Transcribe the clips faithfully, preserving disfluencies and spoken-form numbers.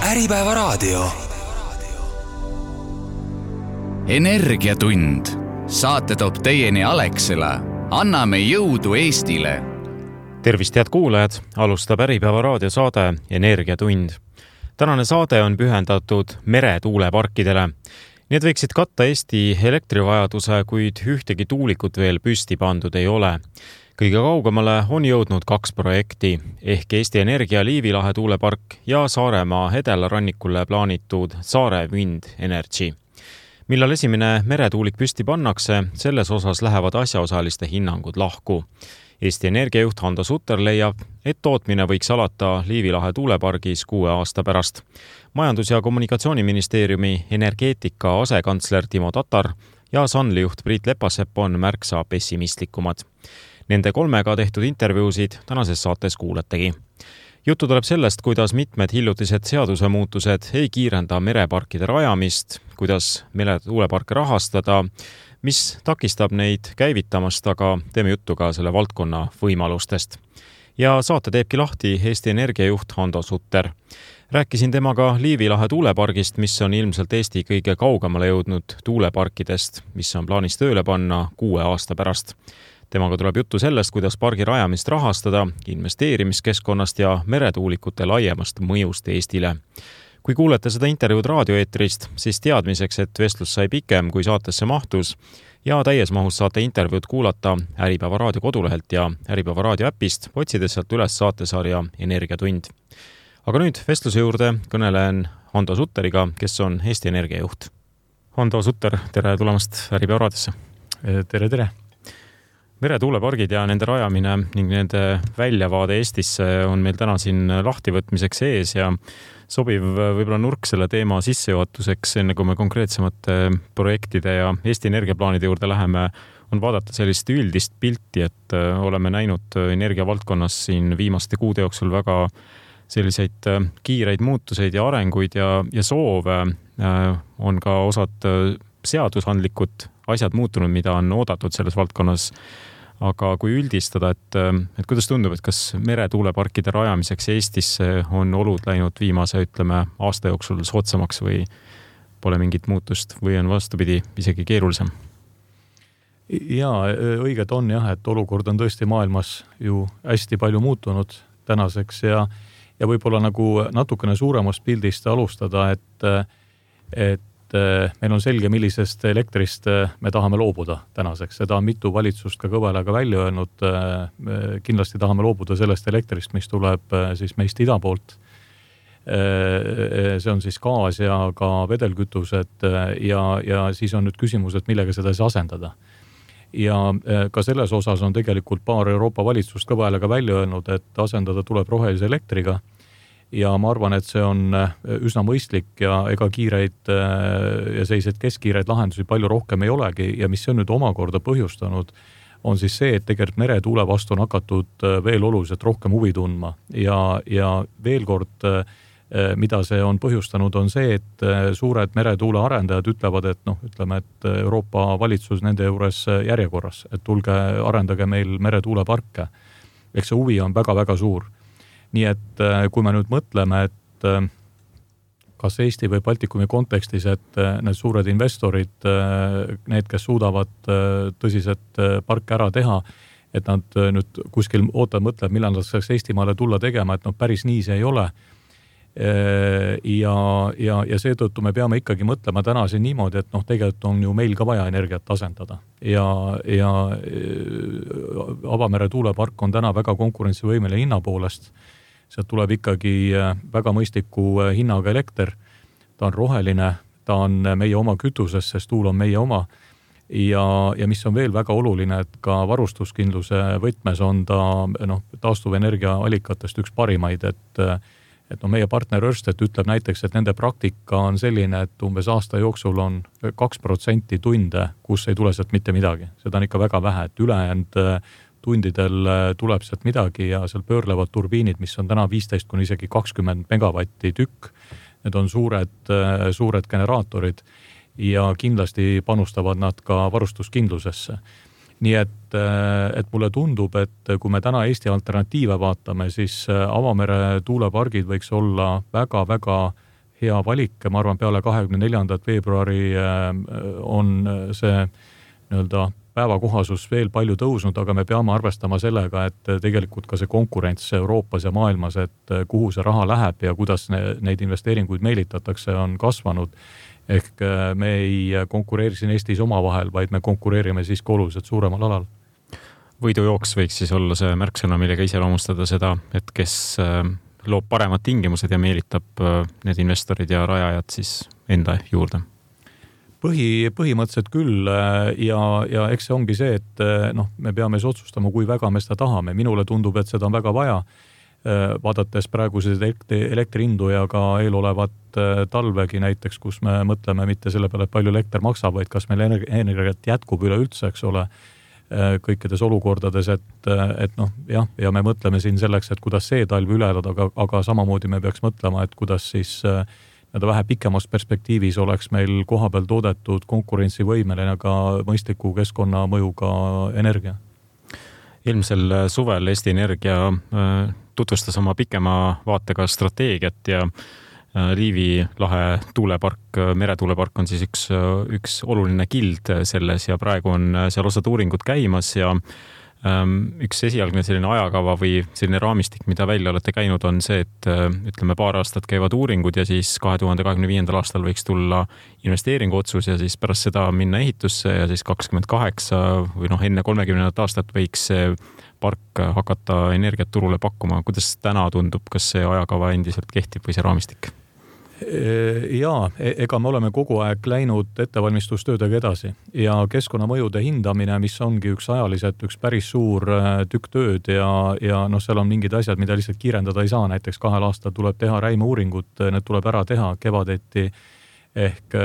Äripäevaraadio. Energiatund. Saate toob teieni Alexela. Anname jõudu Eestile. Tervist, head kuulajad! Alustab Äripäevaraadio saade Energiatund. Tänane saade on pühendatud meretuuleparkidele. Need võiksid katta Eesti elektrivajaduse, kuid ühtegi tuulikut veel püsti pandud ei ole. Kõige kaugemale on jõudnud kaks projekti, ehk Eesti Energia Liivilahe tuulepark ja Saaremaa Hedelarannikule plaanitud Saare Wind Energy. Millal esimene meretuulik püsti pannakse, selles osas lähevad asjaosaliste hinnangud lahku. Eesti Energia juht Hando Sutter leiab, et tootmine võiks alata Liivilahe tuulepargis kuue aasta pärast. Majandus- ja Kommunikatsiooniministeeriumi energeetika asekantsler Timo Tatar ja Sunly juht Priit Lepasepp on märksa pessimistlikumad. Nende kolmega tehtud intervjuusid tänases saates kuuletegi. Juttu tuleb sellest, kuidas mitmed hiljutised seadusemuutused ei kiirenda mereparkide rajamist, kuidas meretuuleparke rahastada, mis takistab neid käivitamast, aga teeme juttu ka selle valdkonna võimalustest. Ja saate teebki lahti Eesti Energia juht Hando Sutter. Rääkisin temaga Liivilahe tuulepargist, mis on ilmselt Eesti kõige kaugemale jõudnud tuuleparkidest, mis on plaanis tööle panna kuue aasta pärast. Temaga tuleb juttu sellest, kuidas pargi rajamist rahastada, investeerimiskeskkonnast ja meretuulikute laiemast mõjust Eestile. Kui kuulete seda intervjuud raadioeetrist, siis teadmiseks, et vestlus sai pikem, kui saatesse mahtus ja täies mahus saate intervjuud kuulata Äripäeva raadio kodulehelt ja Äripäeva raadio äpist, otsides sealt üles saatesarja Energiatund. Aga nüüd vestluse juurde kõnelen Hando Sutteriga, kes on Eesti Energia juht. Hando Sutter, tere tulemast Äripäeva raadiosse. Tere, tere. Meretuulepargid ja nende rajamine ning nende väljavaade Eestisse on meil täna siin lahtivõtmiseks ees ja sobiv võib-olla nurk selle teema sissejuhatuseks, enne kui me konkreetsemate projektide ja Eesti energiaplaanide juurde läheme, on vaadata sellist üldist pilti, et oleme näinud energiavaldkonnas siin viimaste kuude jooksul väga selliseid kiireid muutuseid ja arenguid ja, ja soove. On ka osad seadusandlikud asjad muutunud, mida on oodatud selles valdkonnas. Aga kui üldistada, et, et kuidas tundub, et kas meretuuleparkide rajamiseks Eestisse on olud läinud viimase, ütleme, aasta jooksul soodsamaks või pole mingit muutust või on vastupidi isegi keerulisem? Jaa, õiget on jah, et olukord on tõesti maailmas ju hästi palju muutunud tänaseks ja, ja võib-olla nagu natukene suuremast pildist alustada, et, et meil on selge, millisest elektrist me tahame loobuda tänaseks. Seda on mitu valitsust ka kõvelaga välja öelnud. Kindlasti tahame loobuda sellest elektrist, mis tuleb siis meist ida poolt. See on siis gaas ja ka vedelkütused ja, ja siis on nüüd küsimus, et millega seda siis asendada. Ja ka selles osas on tegelikult paar Euroopa valitsust kõvelaga välja öelnud, et asendada tuleb rohelise elektriga. Ja ma arvan, et see on üsna mõistlik ja ega kiireid ja selliseid keskkiireid lahendusi palju rohkem ei olegi ja mis on nüüd omakorda põhjustanud, on siis see, et tegelikult meretuule vastu on hakatud veel oluliselt rohkem huvi tundma ja, ja veel kord, mida see on põhjustanud, on see, et suured meretuule arendajad ütlevad, et noh, ütleme, et Euroopa valitsus nende juures järjekorras, et tulge arendage meil meretuuleparke. Eks see huvi on väga-väga suur. Nii et kui me nüüd mõtleme, et kas Eesti või Baltikumi kontekstis, et need suured investorid, need, kes suudavad tõsiselt parke ära teha, et nad nüüd kuskil ootavad mõtleb, millal nad saaks Eestimaale tulla tegema, et no päris nii see ei ole. Ja, ja, ja seetõttu me peame ikkagi mõtlema täna siin niimoodi, et noh, tegelikult on ju meil ka vaja energiat asendada. Ja, ja avamere tuulepark on täna väga konkurentsivõimeline hinna poolest. Sealt tuleb ikkagi väga mõistliku hinnaga elekter. Ta on roheline, ta on meie oma kütuses, sest tuul on meie oma. Ja, ja mis on veel väga oluline, et ka varustuskindluse võtmes on ta noh, taastuvenergia allikatest üks parimaid, et et no meie partner Ørsted ütleb näiteks, et nende praktika on selline, et umbes aasta jooksul on kaks protsenti tunde, kus ei tule sealt mitte midagi. Seda on ikka väga vähe, et ülejäänud tundidel tuleb sealt midagi ja seal pöörlevad turbiinid, mis on täna viisteist kuni isegi kakskümmend megavatti tükk. Need on suured, suured generaatorid ja kindlasti panustavad nad ka varustuskindlusesse. Nii et, et mulle tundub, et kui me täna Eesti alternatiive vaatame, siis avamere tuulepargid võiks olla väga-väga hea valik, ma arvan, peale kahekümne neljandat veebruari on see nii-öelda päevakohasus veel palju tõusnud, aga me peame arvestama sellega, et tegelikult ka see konkurents Euroopas ja maailmas, et kuhu see raha läheb ja kuidas neid investeeringuid meelitatakse, on kasvanud. Ehk me ei konkureeri siin Eestis omavahel, vaid me konkureerime siis oluliselt suuremal alal. Võidujooks võiks siis olla see märksõna, millega iseloomustada seda, et kes loob paremad tingimused ja meelitab need investorid ja rajajad siis enda juurde. Põhi, põhimõtteliselt küll ja, ja eks see ongi see, et noh, me peame siis otsustama, kui väga me seda tahame. Minule tundub, et seda on väga vaja, vaadates praeguseid elektrihindu ja ka eelolevat talvegi näiteks, kus me mõtleme mitte selle peale, et palju elekter maksab, vaid kas meil energiat jätkub üleüldse, eks ole, kõikides olukordades, et, et noh, jah, ja me mõtleme siin selleks, et kuidas see talv üle elada, aga, aga samamoodi me peaks mõtlema, et kuidas siis nii-öelda vähe pikemas perspektiivis oleks meil kohapeal toodetud konkurentsivõimeline ka mõistliku keskkonnamõjuga energia. Eelmisel suvel Eesti Energia tutvustas oma pikema vaatega strateegiat ja Liivi lahe tuulepark, meretuulepark on siis üks, üks oluline kild selles ja praegu on seal osad uuringud käimas ja üks esialgne selline ajakava või selline raamistik, mida välja olete käinud, on see, et ütleme paar aastat käivad uuringud ja siis kahe tuhande kahekümne viiendal aastal võiks tulla investeeringu otsus ja siis pärast seda minna ehitusse ja siis kakskümmend kaheksa või noh, enne kolmekümnendat aastat võiks see park hakata energiat turule pakkuma. Kuidas täna tundub, kas see ajakava endiselt kehtib või see raamistik? Jaa, ega me oleme kogu aeg läinud ettevalmistustöödega edasi ja keskkonnamõjude hindamine, mis ongi üks ajaliselt üks päris suur tükk tööd ja, ja noh, seal on mingid asjad, mida lihtsalt kiirendada ei saa. Näiteks kahel aastal tuleb teha räimeuuringut, need tuleb ära teha kevadeti ehk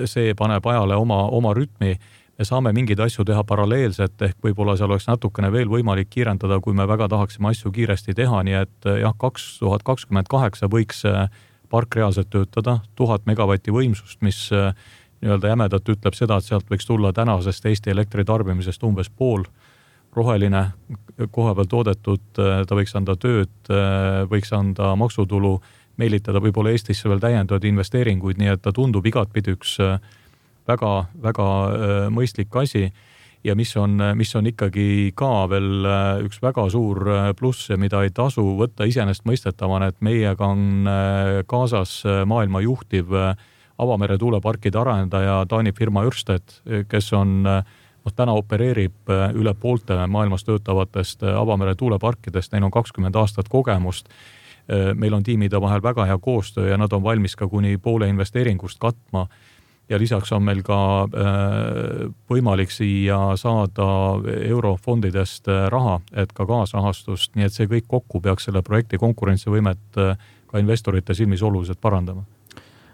see paneb ajale oma, oma rütmi. Me saame mingeid asju teha paralleelselt, ehk võib-olla seal oleks natukene veel võimalik kiirendada, kui me väga tahaksime asju kiiresti teha, nii et jah, kaks tuhat kakskümmend kaheksa võiks park reaalselt töötada, tuhat megavatti võimsust, mis nii-öelda jämedalt ütleb seda, et sealt võiks tulla tänasest Eesti elektritarbimisest umbes pool roheline, koha peal toodetud, ta võiks anda tööd, võiks anda maksutulu, meelitada võib-olla Eestisse veel täiendavad investeeringuid, nii et ta tundub igatpidi üks väga, väga mõistlik asi ja mis on, mis on ikkagi ka veel üks väga suur pluss, mida ei tasu võtta iseenesest mõistetavana, et meiega on kaasas maailma juhtiv avamere tuuleparkide arendaja Taani firma Ørsted, kes on, noh, täna opereerib üle poolte maailmas töötavatest avamere tuuleparkidest, neil on kakskümmend aastat kogemust. Meil on tiimide vahel väga hea koostöö ja nad on valmis ka kuni poole investeeringust katma. Ja lisaks on meil ka võimalik siia saada eurofondidest raha, et ka kaasrahastust, nii et see kõik kokku peaks selle projekti konkurentsivõimet ka investorite silmis oluliselt parandama.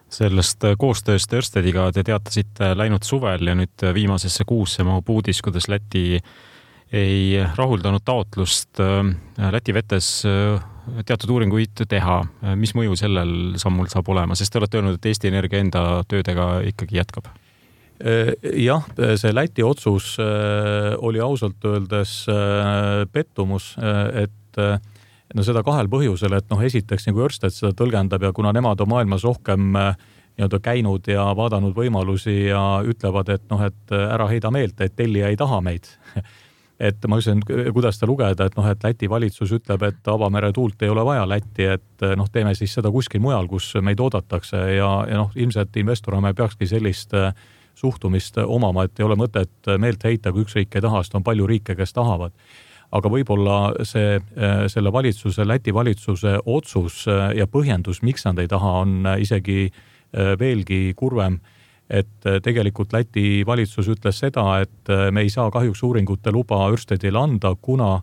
Sellest koostööst Ørstediga te teatasite läinud suvel ja nüüd viimasesse kuusse mahub uudis, kuidas Läti ei rahuldanud taotlust Läti vetes teatud uuringuid teha. Mis mõju sellel sammul saab olema, sest te olete öelnud, et Eesti Energia enda töödega ikkagi jätkab? Jah, see Läti otsus oli ausalt öeldes pettumus, et no seda kahel põhjusel, et noh, esiteks nagu Ørsted seda tõlgendab ja kuna nemad on maailmas rohkem nii-öelda käinud ja vaadanud võimalusi ja ütlevad, et noh, et ära heida meelt, et tellija ei taha meid. Et ma ütlen, kuidas ta lugeda, et noh, et Läti valitsus ütleb, et avamere tuult ei ole vaja Läti, et noh, teeme siis seda kuskil mujal, kus meid oodatakse ja, ja noh, ilmselt investorina me peakski sellist suhtumist omama, et ei ole mõtet meelt heita, kui üks riik ei taha, sest on palju riike, kes tahavad. Aga võib-olla see, selle valitsuse, Läti valitsuse otsus ja põhjendus, miks nad ei taha, on isegi veelgi kurvem. Et tegelikult Läti valitsus ütles seda, et me ei saa kahjuks uuringute luba Ørstedile anda, kuna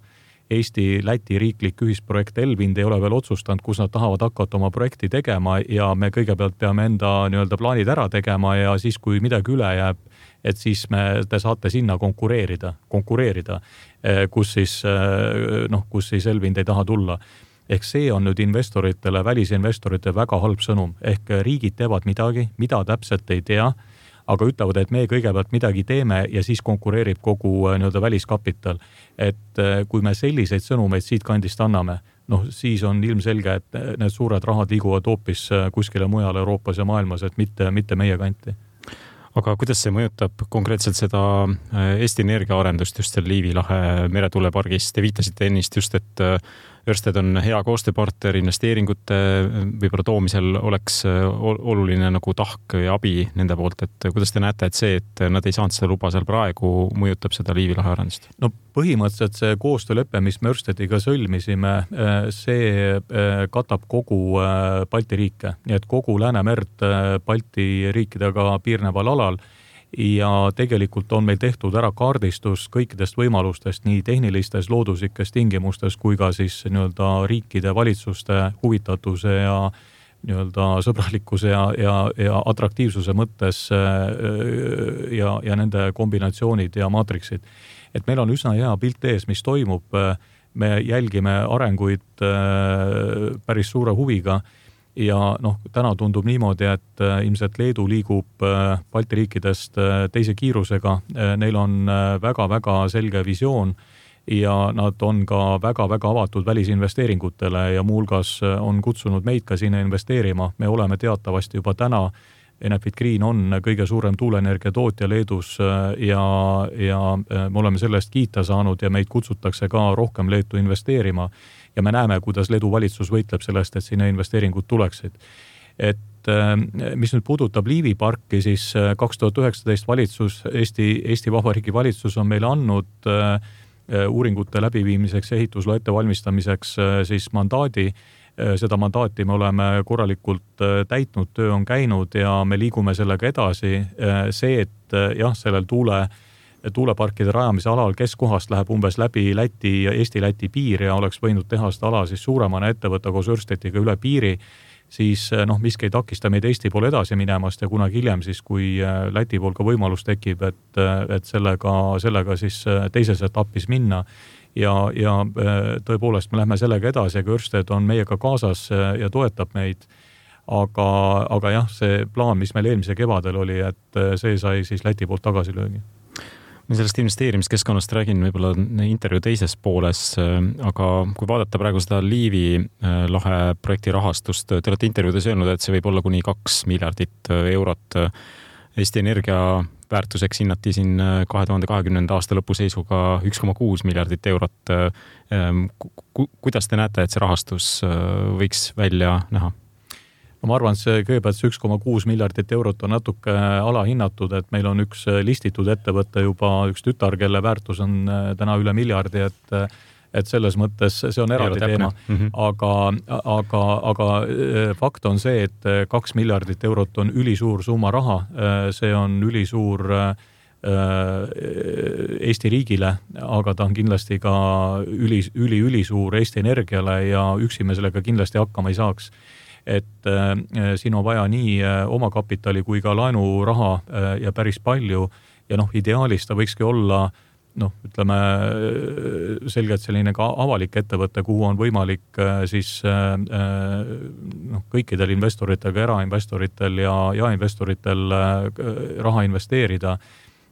Eesti-Läti riiklik ühisprojekt Elvind ei ole veel otsustanud, kus nad tahavad hakata oma projekti tegema ja me kõigepealt peame enda nii-öelda plaanid ära tegema ja siis, kui midagi üle jääb, et siis me, te saate sinna konkureerida, konkureerida, kus siis, noh, kus siis Elvind ei taha tulla. Ehk see on nüüd investoritele, välisinvestorite väga halb sõnum. Ehk riigid teevad midagi, mida täpselt ei tea, aga ütlevad, et me kõigepealt midagi teeme ja siis konkureerib kogu nii-öelda väliskapital. Et kui me selliseid sõnumeid siit kandist anname, noh, siis on ilmselge, et need suured rahad liiguvad hoopis kuskile mujal Euroopas ja maailmas, et mitte, mitte meie kanti. Aga kuidas see mõjutab konkreetselt seda Eesti Energia arendust just seal Liivi lahe meretuulepargis? Te viitasite ennist just, et Ørsted on hea koostööpartner, investeeringute võib-olla toomisel oleks oluline nagu tahk ja abi nende poolt, et kuidas te näete, et see, et nad ei saanud seda luba seal praegu, mõjutab seda Liivi lahe arendust? No põhimõtteliselt see koostöölepe, mis me Ørstediga sõlmisime, see katab kogu Balti riike, nii et kogu Läänemerd Balti riikidega piirneval alal ja tegelikult on meil tehtud ära kaardistus kõikidest võimalustest nii tehnilistes looduslikes tingimustes kui ka siis nii-öelda riikide valitsuste huvitatuse ja nii-öelda sõbralikkuse ja, ja, ja atraktiivsuse mõttes ja, ja nende kombinatsioonid ja maatriksid. Et meil on üsna hea pilt ees, mis toimub. Me jälgime arenguid päris suure huviga. Ja noh, täna tundub niimoodi, et ilmselt Leedu liigub Balti riikidest teise kiirusega. Neil on väga-väga selge visioon ja nad on ka väga-väga avatud välisinvesteeringutele ja muulgas on kutsunud meid ka sinna investeerima. Me oleme teatavasti juba täna, Enefit Green on kõige suurem tuuleenergia tootja Leedus ja, ja me oleme sellest kiita saanud ja meid kutsutakse ka rohkem Leetu investeerima. Ja me näeme, kuidas Leedu valitsus võitleb sellest, et sinna investeeringud tuleksid. Et mis nüüd puudutab Liivi parki, siis kaks tuhat üheksateist valitsus, Eesti, Eesti Vabariigi valitsus on meile andnud uuringute läbiviimiseks ja ehitusloa ettevalmistamiseks siis mandaadi. Seda mandaati me oleme korralikult täitnud, töö on käinud ja me liigume sellega edasi. See, et jah, sellel tuule tuuleparkide rajamise alal keskkohast läheb umbes läbi Läti ja Eesti-Läti piir ja oleks võinud teha seda ala siis suuremana ettevõtta koos Ørstediga üle piiri, siis noh, miski ei takista meid Eesti poole edasi minemast ja kunagi hiljem siis, kui Läti pool ka võimalus tekib, et, et sellega, sellega siis teises etapis minna ja, ja tõepoolest me lähme sellega edasi, aga Ørsted on meiega kaasas ja toetab meid. Aga, aga jah, see plaan, mis meil eelmise kevadel oli, et see sai siis Läti poolt tagasi löögi. Ma sellest investeerimiskeskkonnast räägin võib-olla intervjuu teises pooles, aga kui vaadata praegu seda Liivi lahe projekti rahastust, te olete intervjuudes öelnud, et see võib olla kuni kaks miljardit eurot. Eesti Energia väärtuseks hinnati siin kahe tuhande kahekümnenda aasta lõpuseisuga üks koma kuus miljardit eurot. Kuidas te näete, et see rahastus võiks välja näha? Ma arvan, et see kõigepealt see üks koma kuus miljardit eurot on natuke alahinnatud, et meil on üks listitud ettevõte juba üks tütar, kelle väärtus on täna üle miljardi, et, et selles mõttes see on eraldi teema. Mm-hmm. Aga, aga, aga fakt on see, et kaks miljardit eurot on ülisuur summa raha. See on ülisuur Eesti riigile, aga ta on kindlasti ka üli, üli, ülisuur Eesti Energiale ja üksi me sellega kindlasti hakkama ei saaks. Et äh, siin on vaja nii äh, oma kapitali kui ka laenuraha äh, ja päris palju ja noh, ideaalis ta võikski olla noh, ütleme selgelt selline ka avalik ettevõte, kuhu on võimalik äh, siis äh, noh, kõikidel investoritel, erainvestoritel ja jaeinvestoritel äh, raha investeerida.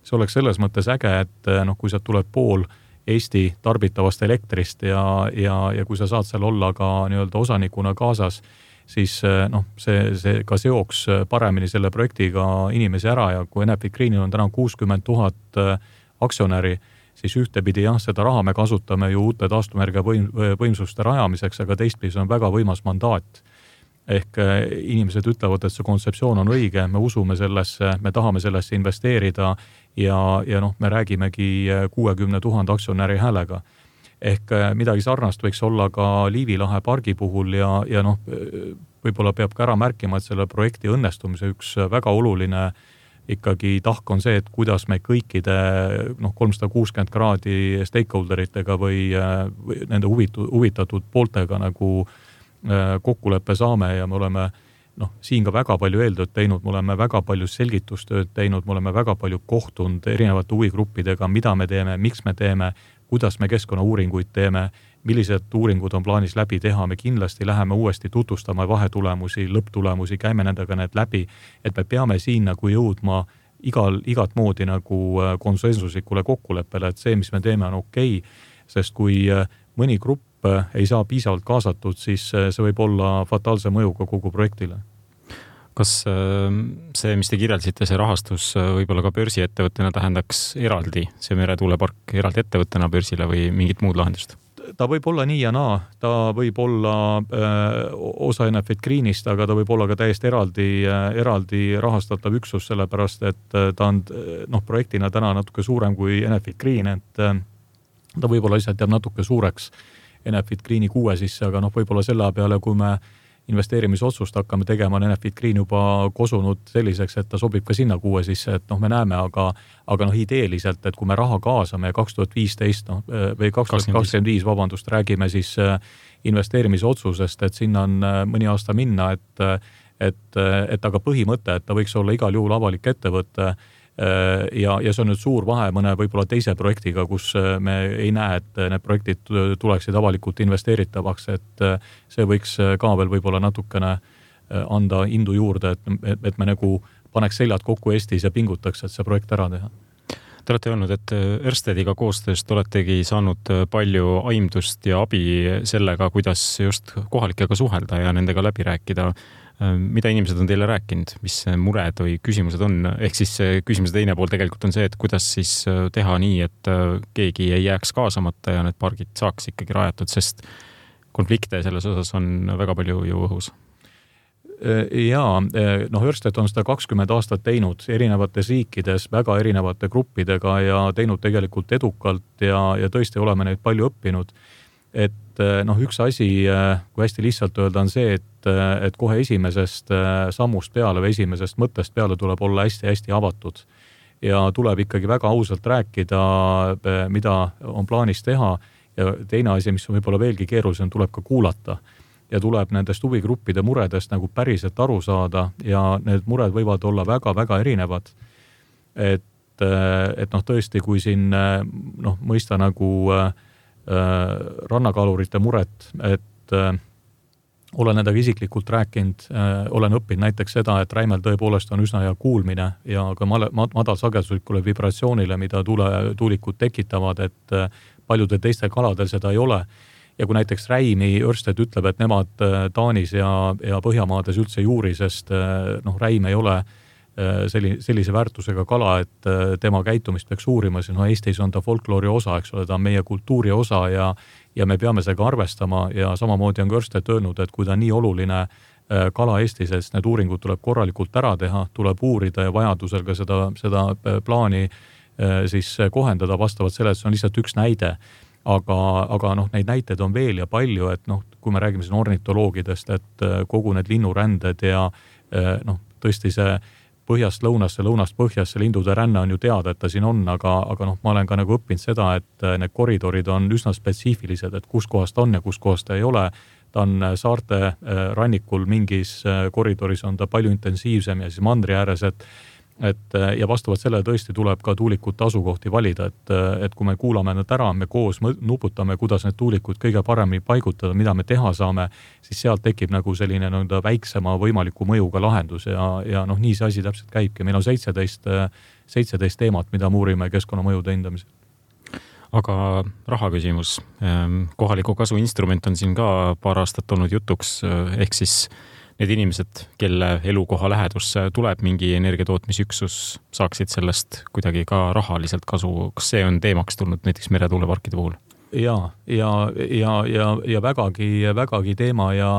See oleks selles mõttes äge, et äh, noh, kui sealt tuleb pool Eesti tarbitavast elektrist ja, ja, ja kui sa saad seal olla ka nii-öelda osanikuna kaasas, siis noh, see, see ka seoks paremini selle projektiga inimesi ära ja kui Enefit Greenil on täna kuuskümmend tuhat aktsionäri, siis ühtepidi jah, seda raha me kasutame ju uute taastumenergia võim, võimsuste rajamiseks, aga teistpidi on väga võimas mandaat. Ehk inimesed ütlevad, et see kontseptsioon on õige, me usume sellesse, me tahame sellesse investeerida ja, ja noh, me räägimegi kuuekümne tuhande aktsionäri häälega. Ehk midagi sarnast võiks olla ka Liivi lahe pargi puhul ja, ja noh, võib-olla peab ka ära märkima, et selle projekti õnnestumise üks väga oluline ikkagi tahk on see, et kuidas me kõikide noh, kolmsada kuuskümmend kraadi stakeholderitega või, või nende huvitu, huvitatud pooltega nagu kokkuleppe saame ja me oleme noh, siin ka väga palju eeltööd teinud, me oleme väga palju selgitustööd teinud, me oleme väga palju kohtunud erinevate huvigruppidega, mida me teeme, miks me teeme, kuidas me keskkonnauuringuid teeme, millised uuringud on plaanis läbi teha, me kindlasti läheme uuesti tutvustama vahetulemusi, lõpptulemusi, käime nendega need läbi, et me peame siin nagu jõudma igal, igat moodi nagu konsensuslikule kokkuleppele, et see, mis me teeme, on okei, sest kui mõni grupp ei saa piisavalt kaasatud, siis see võib olla fataalse mõjuga kogu projektile. Kas see, mis te kirjeldasite, see rahastus võib-olla ka börsiettevõttena tähendaks eraldi, see meretuulepark eraldi ettevõttena börsile või mingit muud lahendust? Ta võib olla nii ja naa, ta võib olla öö, osa Enefit Greenist, aga ta võib olla ka täiesti eraldi, eraldi rahastatav üksus, sellepärast et ta on noh, projektina täna natuke suurem kui Enefit Green, et ta võib-olla lihtsalt jääb natuke suureks Enefit Greeni kuue sisse, aga noh, võib-olla selle peale, kui me investeerimisotsust hakkame tegema, on Enefit Green juba kosunud selliseks, et ta sobib ka sinna kuue sisse, et noh, me näeme, aga, aga noh, ideeliselt, et kui me raha kaasame kaks tuhat viisteist noh, või kaks tuhat kakskümmend viis, vabandust, räägime siis investeerimisotsusest, et sinna on mõni aasta minna, et, et, et aga põhimõte, et ta võiks olla igal juhul avalik ettevõte ja, ja see on nüüd suur vahe mõne võib-olla teise projektiga, kus me ei näe, et need projektid tuleksid avalikult investeeritavaks, et see võiks ka veel võib-olla natukene anda indu juurde, et, et me nagu paneks seljad kokku Eestis ja pingutaks, et see projekt ära teha. Te olete öelnud, et Ørstediga koostööst oletegi saanud palju aimdust ja abi sellega, kuidas just kohalikega suhelda ja nendega läbi rääkida. Mida inimesed on teile rääkinud, mis mured või küsimused on? Ehk siis küsimuse teine pool tegelikult on see, et kuidas siis teha nii, et keegi ei jääks kaasamata ja need pargid saaks ikkagi rajatud, sest konflikte selles osas on väga palju ju õhus. Jaa, noh, Ørsted on seda kakskümmend aastat teinud erinevates riikides, väga erinevate gruppidega ja teinud tegelikult edukalt ja, ja tõesti oleme neid palju õppinud. Et noh, üks asi, kui hästi lihtsalt öelda, on see, et, et kohe esimesest sammust peale või esimesest mõttest peale tuleb olla hästi-hästi avatud. Ja tuleb ikkagi väga ausalt rääkida, mida on plaanis teha. Ja teine asi, mis on võib-olla veelgi keerulisem, tuleb ka kuulata. Ja tuleb nendest huvigruppide muredest nagu päriselt aru saada ja need mured võivad olla väga-väga erinevad. Et, et noh, tõesti, kui siin noh, mõista nagu rannakalurite muret, et äh, olen nendega isiklikult rääkinud, äh, olen õppinud näiteks seda, et räimel tõepoolest on üsna hea kuulmine ja ka madalsageduslikule vibratsioonile, mida tuule, tuulikud tekitavad, et äh, paljudel teistel kaladel seda ei ole. Ja kui näiteks räimi Ørsted ütleb, et nemad Taanis ja, ja Põhjamaades üldse juuri, sest äh, noh, räim ei ole Selli, sellise väärtusega kala, et tema käitumist peaks uurima, siis no Eestis on ta folkloori osa, eks ole, ta on meie kultuuri osa ja, ja me peame sellega arvestama ja samamoodi on Ørsted öelnud, et kui ta on nii oluline kala Eestis, et need uuringud tuleb korralikult ära teha, tuleb uurida ja vajadusel ka seda, seda plaani siis kohendada vastavalt selle, et see on lihtsalt üks näide. Aga, aga noh, neid näiteid on veel ja palju, et noh, kui me räägime siin ornitoloogidest, et kogu need linnuränded ja noh, tõesti see põhjast lõunasse, lõunast põhjasse lindude ränne on ju teada, et ta siin on, aga, aga noh, ma olen ka nagu õppinud seda, et need koridorid on üsna spetsiifilised, et kus kohast on ja kus kohast ei ole. Ta on saarte rannikul mingis koridoris on ta palju intensiivsem ja siis mandri ääres, et, et ja vastavalt sellele tõesti tuleb ka tuulikute asukohti valida, et, et kui me kuulame need ära, me koos nuputame, kuidas need tuulikud kõige paremini paigutada, mida me teha saame, siis sealt tekib nagu selline nõnda väiksema võimaliku mõjuga lahendus ja, ja noh, nii see asi täpselt käibki. Meil on seitseteist, seitseteist teemat, mida me uurime keskkonnamõjude hindamisel. Aga raha küsimus. Kohaliku kasu instrument on siin ka paar aastat olnud jutuks, ehk siis need inimesed, kelle elukoha lähedusse tuleb mingi energiatootmisüksus, saaksid sellest kuidagi ka rahaliselt kasu. Kas see on teemaks tulnud näiteks meretuuleparkide puhul? Ja, ja, ja, ja, ja vägagi, vägagi teema ja,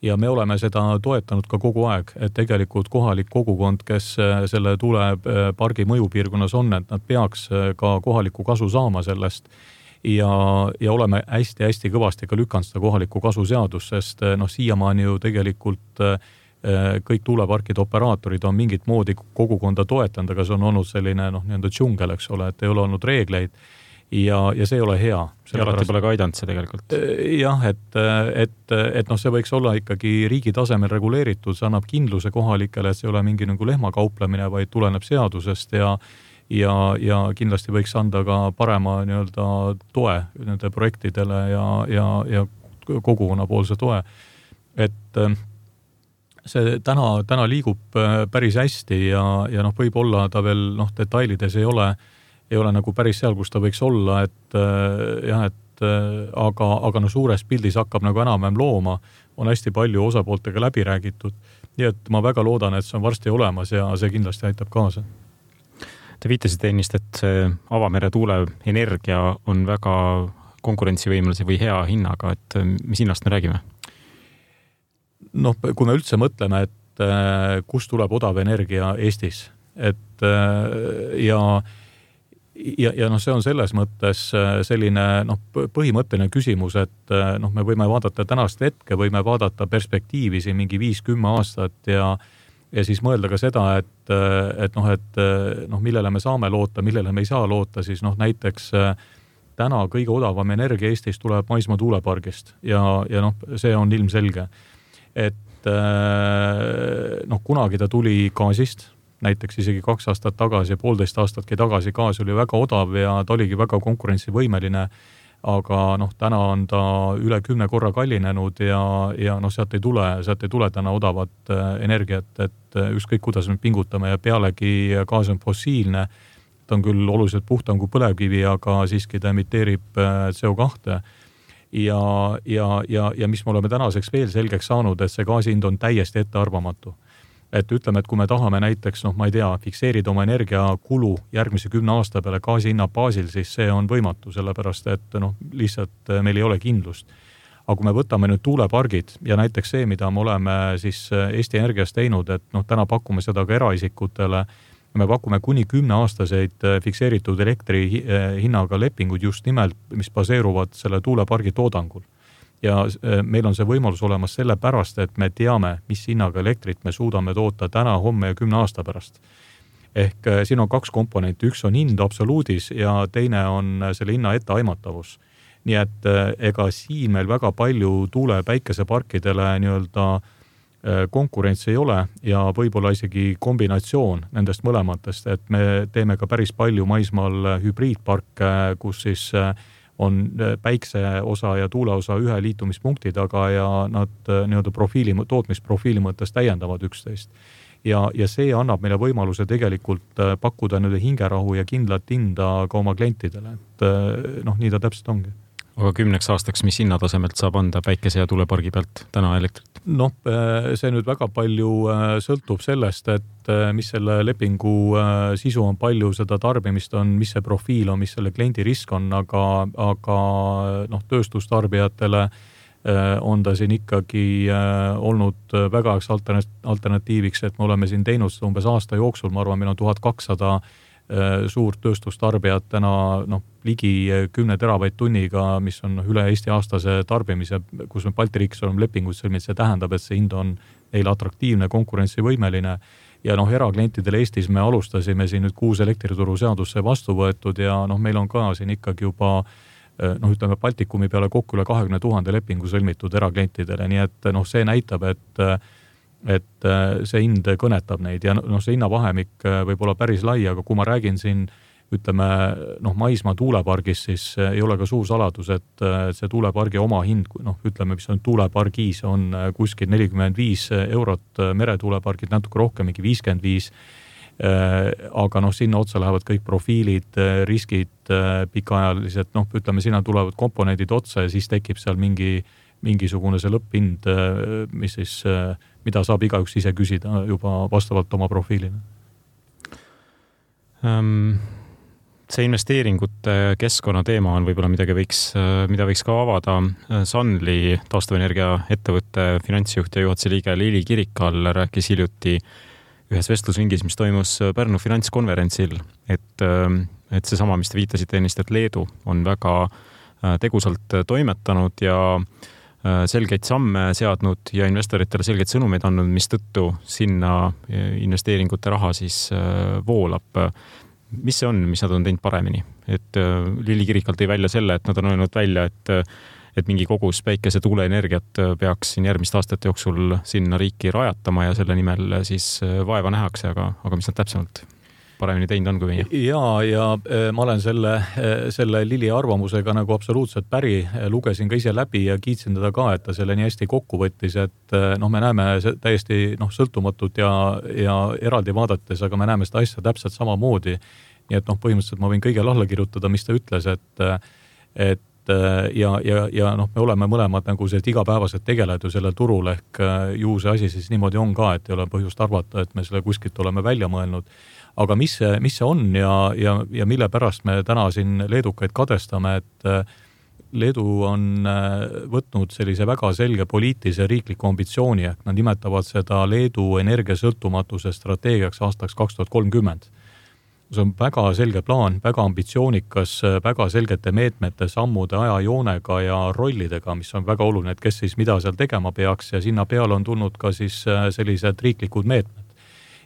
ja me oleme seda toetanud ka kogu aeg, et tegelikult kohalik kogukond, kes selle tuulepargi mõjupiirkonnas on, et nad peaks ka kohaliku kasu saama sellest. Ja, ja oleme hästi-hästi kõvasti ka lükanud seda kohaliku kasu seadus, sest noh, siiamaani ju tegelikult kõik tuuleparkide operaatorid on mingit moodi kogukonda toetanud, aga see on olnud selline noh, nii-enda džungel, eks ole, et ei ole olnud reegleid ja, ja see ei ole hea. Ja alati pole ka aidanud see tegelikult. Jah, et, et, et noh, see võiks olla ikkagi riigi tasemel reguleeritud, see annab kindluse kohalikele, et see ei ole mingi nagu lehmakauplemine, vaid tuleneb seadusest ja Ja, ja kindlasti võiks anda ka parema nii-öelda toe nende projektidele ja, ja, ja kogukonnapoolse toe. Et see täna, täna liigub päris hästi ja, ja noh, võib-olla ta veel noh, detailides ei ole, ei ole nagu päris seal, kus ta võiks olla, et jah, et aga, aga no suures pildis hakkab nagu enam-vähem looma, on hästi palju osapooltega läbi räägitud. Nii et ma väga loodan, et see on varsti olemas ja see kindlasti aitab kaasa. Te viitasite ennist, et see avamere tuule energia on väga konkurentsivõimelise või hea hinnaga, et mis hinnast me räägime? Noh, kui me üldse mõtleme, et kus tuleb odav energia Eestis, et ja Ja, ja noh, see on selles mõttes selline noh, põhimõtteline küsimus, et noh, me võime vaadata tänast hetke, võime vaadata perspektiivi siin mingi viis kümme aastat ja, ja siis mõelda ka seda, et, et noh, et noh, millele me saame loota, millele me ei saa loota, siis noh, näiteks täna kõige odavam energia Eestis tuleb maismaa tuulepargist ja, ja noh, see on ilmselge, et noh, kunagi ta tuli gaasist, näiteks isegi kaks aastat tagasi ja poolteist aastatki tagasi gaas oli väga odav ja ta oligi väga konkurentsivõimeline, aga noh, täna on ta üle kümne korra kallinenud ja, ja noh, sealt ei tule, sealt ei tule täna odavat energiat, et ükskõik kuidas me pingutame ja pealegi gaas on fossiilne, ta on küll oluliselt puhtam kui põlevkivi, aga siiski ta emiteerib C O kahte ja, ja, ja, ja mis me oleme tänaseks veel selgeks saanud, et see gaasi hind on täiesti ettearvamatu. Et ütleme, et kui me tahame näiteks, noh, ma ei tea, fikseerida oma energiakulu järgmise kümne aasta peale gaasi hinna baasil, siis see on võimatu, sellepärast et noh, lihtsalt meil ei ole kindlust. Aga kui me võtame nüüd tuulepargid ja näiteks see, mida me oleme siis Eesti Energias teinud, et noh, täna pakume seda ka eraisikutele, me pakume kuni kümne aastaseid fikseeritud elektri hinnaga lepingud just nimelt, mis baseeruvad selle tuulepargi toodangul. Ja meil on see võimalus olemas selle pärast, et me teame, mis hinnaga elektrit me suudame toota täna, homme ja kümne aasta pärast. Ehk siin on kaks komponenti, üks on hind absoluudis ja teine on selle hinna etteaimatavus. Nii et ega siin meil väga palju tuule- ja päikeseparkidele nii-öelda konkurentsi ei ole ja võib-olla isegi kombinatsioon nendest mõlematest, et me teeme ka päris palju maismaal hübriidparke, kus siis on päikse osa ja tuule osa ühe liitumispunkti taga ja nad nii-öelda profiili, tootmisprofiili mõttes täiendavad üksteist. Ja, ja see annab meile võimaluse tegelikult pakkuda nüüd hingerahu ja kindlat hinda ka oma klientidele. Et noh, nii ta täpselt ongi. Aga kümneks aastaks, mis hinnatasemelt saab anda päikese ja tuulepargi pealt täna elektrit? Noh, see nüüd väga palju sõltub sellest, et mis selle lepingu sisu on, palju seda tarbimist on, mis see profiil on, mis selle kliendi risk on, aga, aga noh, tööstustarbijatele on ta siin ikkagi olnud väga alternatiiviks, et me oleme siin teinud umbes aasta jooksul, ma arvan, meil on tuhat kakssada suurt tööstustarbijat täna noh, ligi kümne teravaid tunniga, mis on üle Eesti aastase tarbimise, kus me Balti riigis oleme lepingut sõlminud, see tähendab, et see hind on neile atraktiivne, konkurentsivõimeline ja noh, eraklientidele Eestis me alustasime siin nüüd kuus elektrituru seadusse vastu võetud ja noh, meil on ka siin ikkagi juba noh, ütleme Baltikumi peale kokku üle kahekümne tuhande lepingu sõlmitud eraklientidele, nii et noh, see näitab, et et see hind kõnetab neid ja noh, see hinnavahemik võib olla päris lai, aga kui ma räägin siin, ütleme, noh, maismaa tuulepargis, siis ei ole ka suur saladus, et see tuulepargi oma hind, noh, ütleme, mis on tuulepargis, on kuskil nelikümmend viis eurot, meretuulepargid natuke rohkem, mingi viiskümmend viis, aga noh, sinna otsa lähevad kõik profiilid, riskid, pikaajalised, noh, ütleme, sinna tulevad komponendid otsa ja siis tekib seal mingi mingisugune see lõpphind, mis siis, mida saab igaüks ise küsida juba vastavalt oma profiilina. See investeeringute keskkonna teema on võib-olla midagi võiks, mida võiks ka avada. Sunly, taastuvenergia ettevõtte finantsjuht ja juhatuse liige Lili Kirikal rääkis hiljuti ühes vestlusringis, mis toimus Pärnu finantskonverentsil, et, et see sama, mis te viitasite ennist, et Leedu on väga tegusalt toimetanud ja selgeid samme seadnud ja investoritele selgeid sõnumeid andnud, mis tõttu sinna investeeringute raha siis voolab. Mis see on, mis nad on teinud paremini? Et Lili Kirikal tõi välja selle, et nad on öelnud välja, et, et mingi kogus päikese tuuleenergiat peaks siin järgmiste aastate jooksul sinna riiki rajatama ja selle nimel siis vaeva nähakse, aga, aga mis nad täpsemalt paremini teinud on kui meie? Ja, ja ma olen selle, selle Lili arvamusega nagu absoluutselt päri, lugesin ka ise läbi ja kiitsin teda ka, et ta selle nii hästi kokku võttis, et noh, me näeme täiesti noh, sõltumatut ja, ja eraldi vaadates, aga me näeme seda asja täpselt samamoodi. Nii et noh, põhimõtteliselt ma võin kõigele alla kirjutada, mis ta ütles, et, et ja, ja, ja noh, me oleme mõlemad nagu see igapäevased tegelejad ju sellel turul, ehk ju see asi siis niimoodi on ka, et ei ole põhjust arvata, et me selle kuskilt oleme välja mõelnud. Aga mis see, mis see on ja, ja, ja mille pärast me täna siin leedukaid kadestame, et Leedu on võtnud sellise väga selge poliitilise riikliku ambitsiooni, ehk nad nimetavad seda Leedu energiasõltumatuse strateegiaks aastaks kaks tuhat kolmkümmend. See on väga selge plaan, väga ambitsioonikas, väga selgete meetmete, sammude, ajajoonega ja rollidega, mis on väga oluline, et kes siis mida seal tegema peaks ja sinna peale on tulnud ka siis sellised riiklikud meetmed.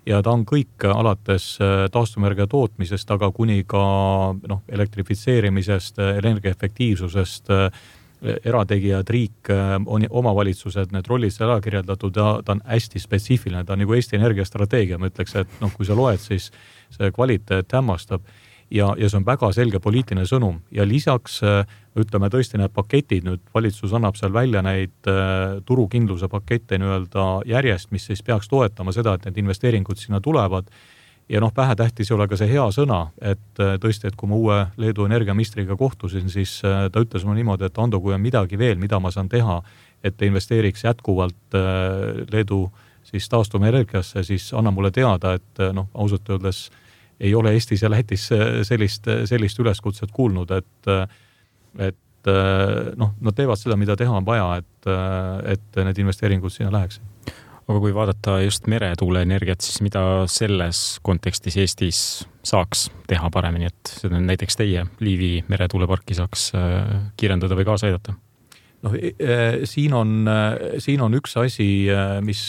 Ja ta on kõik alates taastumenergia tootmisest, aga kuni ka noh, elektrifitseerimisest, energiaefektiivsusest, erategijad, riik, omavalitsused, need rollid seal kirjeldatud ja ta on hästi spetsiifiline, ta on nagu Eesti energiastrateegia, ma ütleks, et noh, kui sa loed, siis see kvaliteet hämmastab ja, ja see on väga selge poliitiline sõnum ja lisaks ütleme tõesti need paketid, nüüd valitsus annab seal välja neid turukindluse pakette nii-öelda järjest, mis siis peaks toetama seda, et need investeeringud sinna tulevad ja noh, vähetähtis ei ole ka see hea sõna, et tõesti, et kui ma uue Leedu energiaministriga kohtusin, siis ta ütles mulle niimoodi, et Ando, kui on midagi veel, mida ma saan teha, et investeeriks jätkuvalt Leedu siis taastumenergiasse, siis anna mulle teada, et noh, ausalt öeldes ei ole Eestis ja Lätis sellist, sellist üleskutset kuulnud, et, et noh, nad teevad seda, mida teha on vaja, et, et need investeeringud sinna läheks. Aga kui vaadata just meretuuleenergiat, siis mida selles kontekstis Eestis saaks teha paremini, et seda näiteks teie Liivi meretuuleparki saaks kiirendada või kaasa aidata? No, siin on, siin on üks asi, mis,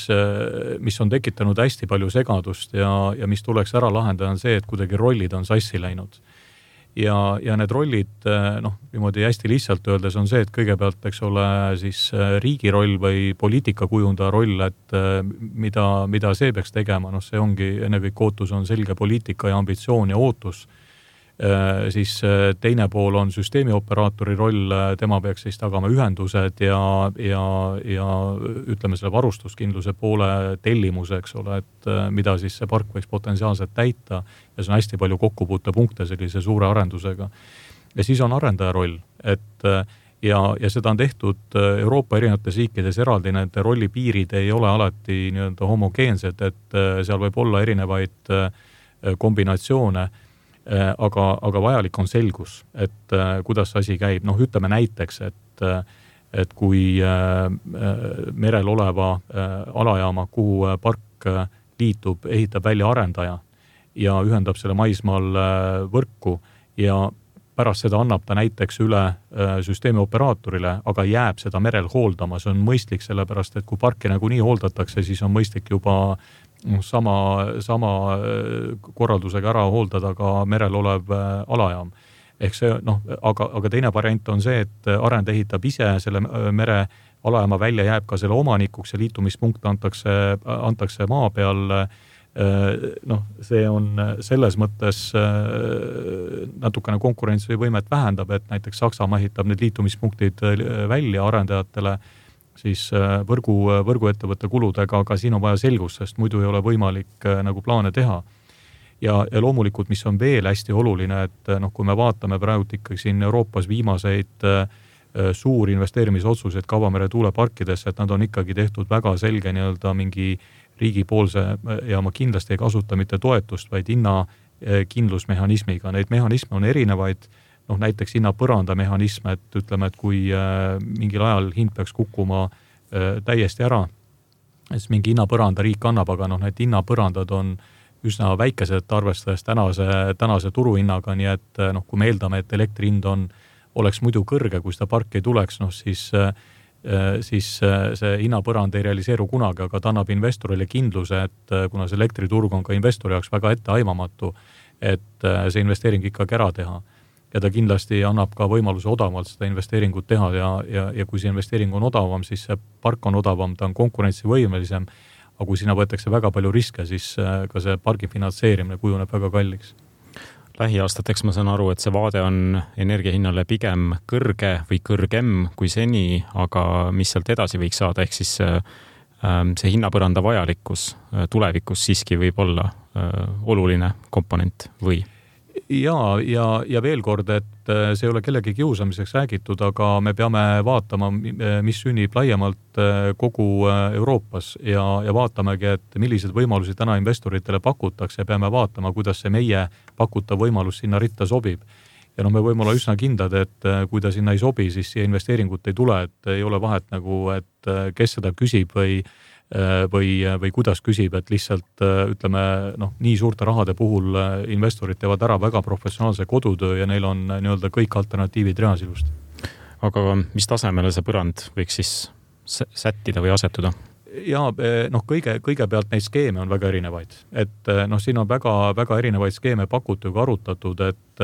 mis on tekitanud hästi palju segadust ja, ja mis tuleks ära lahendada on see, et kuidagi rollid on sassi läinud. Ja, ja need rollid, noh, niimoodi hästi lihtsalt öeldes on see, et kõigepealt, eks ole, siis riigi roll või poliitikakujundaja roll, et mida, mida see peaks tegema, noh, see ongi ennekõik ootus on selge poliitika ja ambitsioon ja ootus. Siis teine pool on süsteemioperaatori roll, tema peaks siis tagama ühendused ja, ja, ja ütleme selle varustuskindluse poole tellimuse, eks ole, et mida siis see park võiks potentsiaalselt täita ja see on hästi palju kokkupuutepunkte sellise suure arendusega. Ja siis on arendaja roll, et ja, ja seda on tehtud Euroopa erinevates riikides eraldi, need rollipiirid ei ole alati nii-öelda homogeensed, et seal võib olla erinevaid kombinatsioone, Aga, aga vajalik on selgus, et äh, kuidas see asi käib. Noh, ütleme näiteks, et, et kui äh, merel oleva äh, alajaama, kuhu park liitub, ehitab välja arendaja ja ühendab selle maismaal äh, võrku ja pärast seda annab ta näiteks üle äh, süsteemioperaatorile, aga jääb seda merel hooldama. See on mõistlik sellepärast, et kui parki nagu nii hooldatakse, siis on mõistlik juba sama, sama korraldusega ära hooldada ka merel olev alajaam. Ehk see, noh, aga, aga teine variant on see, et arend ehitab ise selle mere alajaama välja, jääb ka selle omanikuks ja liitumispunkt antakse, antakse maa peal. Noh, see on selles mõttes natukene konkurentsivõimet vähendab, et näiteks Saksamaa ehitab need liitumispunktid välja arendajatele siis võrgu, võrguettevõtte kuludega, aga siin on vaja selgust, sest muidu ei ole võimalik nagu plaane teha. Ja, ja loomulikult, mis on veel hästi oluline, et noh, kui me vaatame praegu ikkagi siin Euroopas viimaseid suuri investeerimisotsuseid Kavamere tuuleparkidesse, et nad on ikkagi tehtud väga selge nii-öelda mingi riigipoolse ja ma kindlasti ei kasuta mitte toetust, vaid hinna kindlusmehhanismiga. Neid mehhanisme on erinevaid, noh, näiteks hinna põranda mehhanism, et ütleme, et kui äh, mingil ajal hind peaks kukkuma äh, täiesti ära, siis mingi hinnapõranda riik annab, aga noh, need hinnapõrandad on üsna väikesed arvestades tänase, tänase turuhinnaga, nii et noh, kui me eeldame, et elektrihind on, oleks muidu kõrge, kui seda parki ei tuleks, noh siis, äh, siis see hinnapõrand ei realiseeru kunagi, aga ta annab investorile kindluse, et kuna see elektriturg on ka investori jaoks väga etteaimamatu, et see investeering ikkagi ära teha. Ja ta kindlasti annab ka võimaluse odavamalt seda investeeringut teha ja, ja, ja kui see investeering on odavam, siis see park on odavam, ta on konkurentsivõimelisem, aga kui sinna võetakse väga palju riske, siis ka see pargi finantseerimine kujuneb väga kalliks. Lähiaastateks ma saan aru, et see vaade on energiahinnale pigem kõrge või kõrgem kui seni, aga mis sealt edasi võiks saada, ehk siis see hinnapõranda vajalikkus tulevikus siiski võib olla oluline komponent või? ja, ja, ja veel kord, et see ei ole kellegi kiusamiseks räägitud, aga me peame vaatama, mis sünnib laiemalt kogu Euroopas ja, ja vaatamegi, et millised võimalusi täna investoritele pakutakse ja peame vaatama, kuidas see meie pakutav võimalus sinna ritta sobib. Ja no me võime olla üsna kindlad, et kui ta sinna ei sobi, siis siia investeeringut ei tule, et ei ole vahet nagu, et kes seda küsib või, või, või kuidas küsib, et lihtsalt ütleme, noh, nii suurte rahade puhul investorid teevad ära väga professionaalse kodutöö ja neil on nii-öelda kõik alternatiivid reas ilusti. Aga mis tasemele see põrand võiks siis sättida või asetuda? Ja noh, kõige, kõigepealt neid skeeme on väga erinevaid, et noh, siin on väga, väga erinevaid skeeme pakutud ja arutatud, et,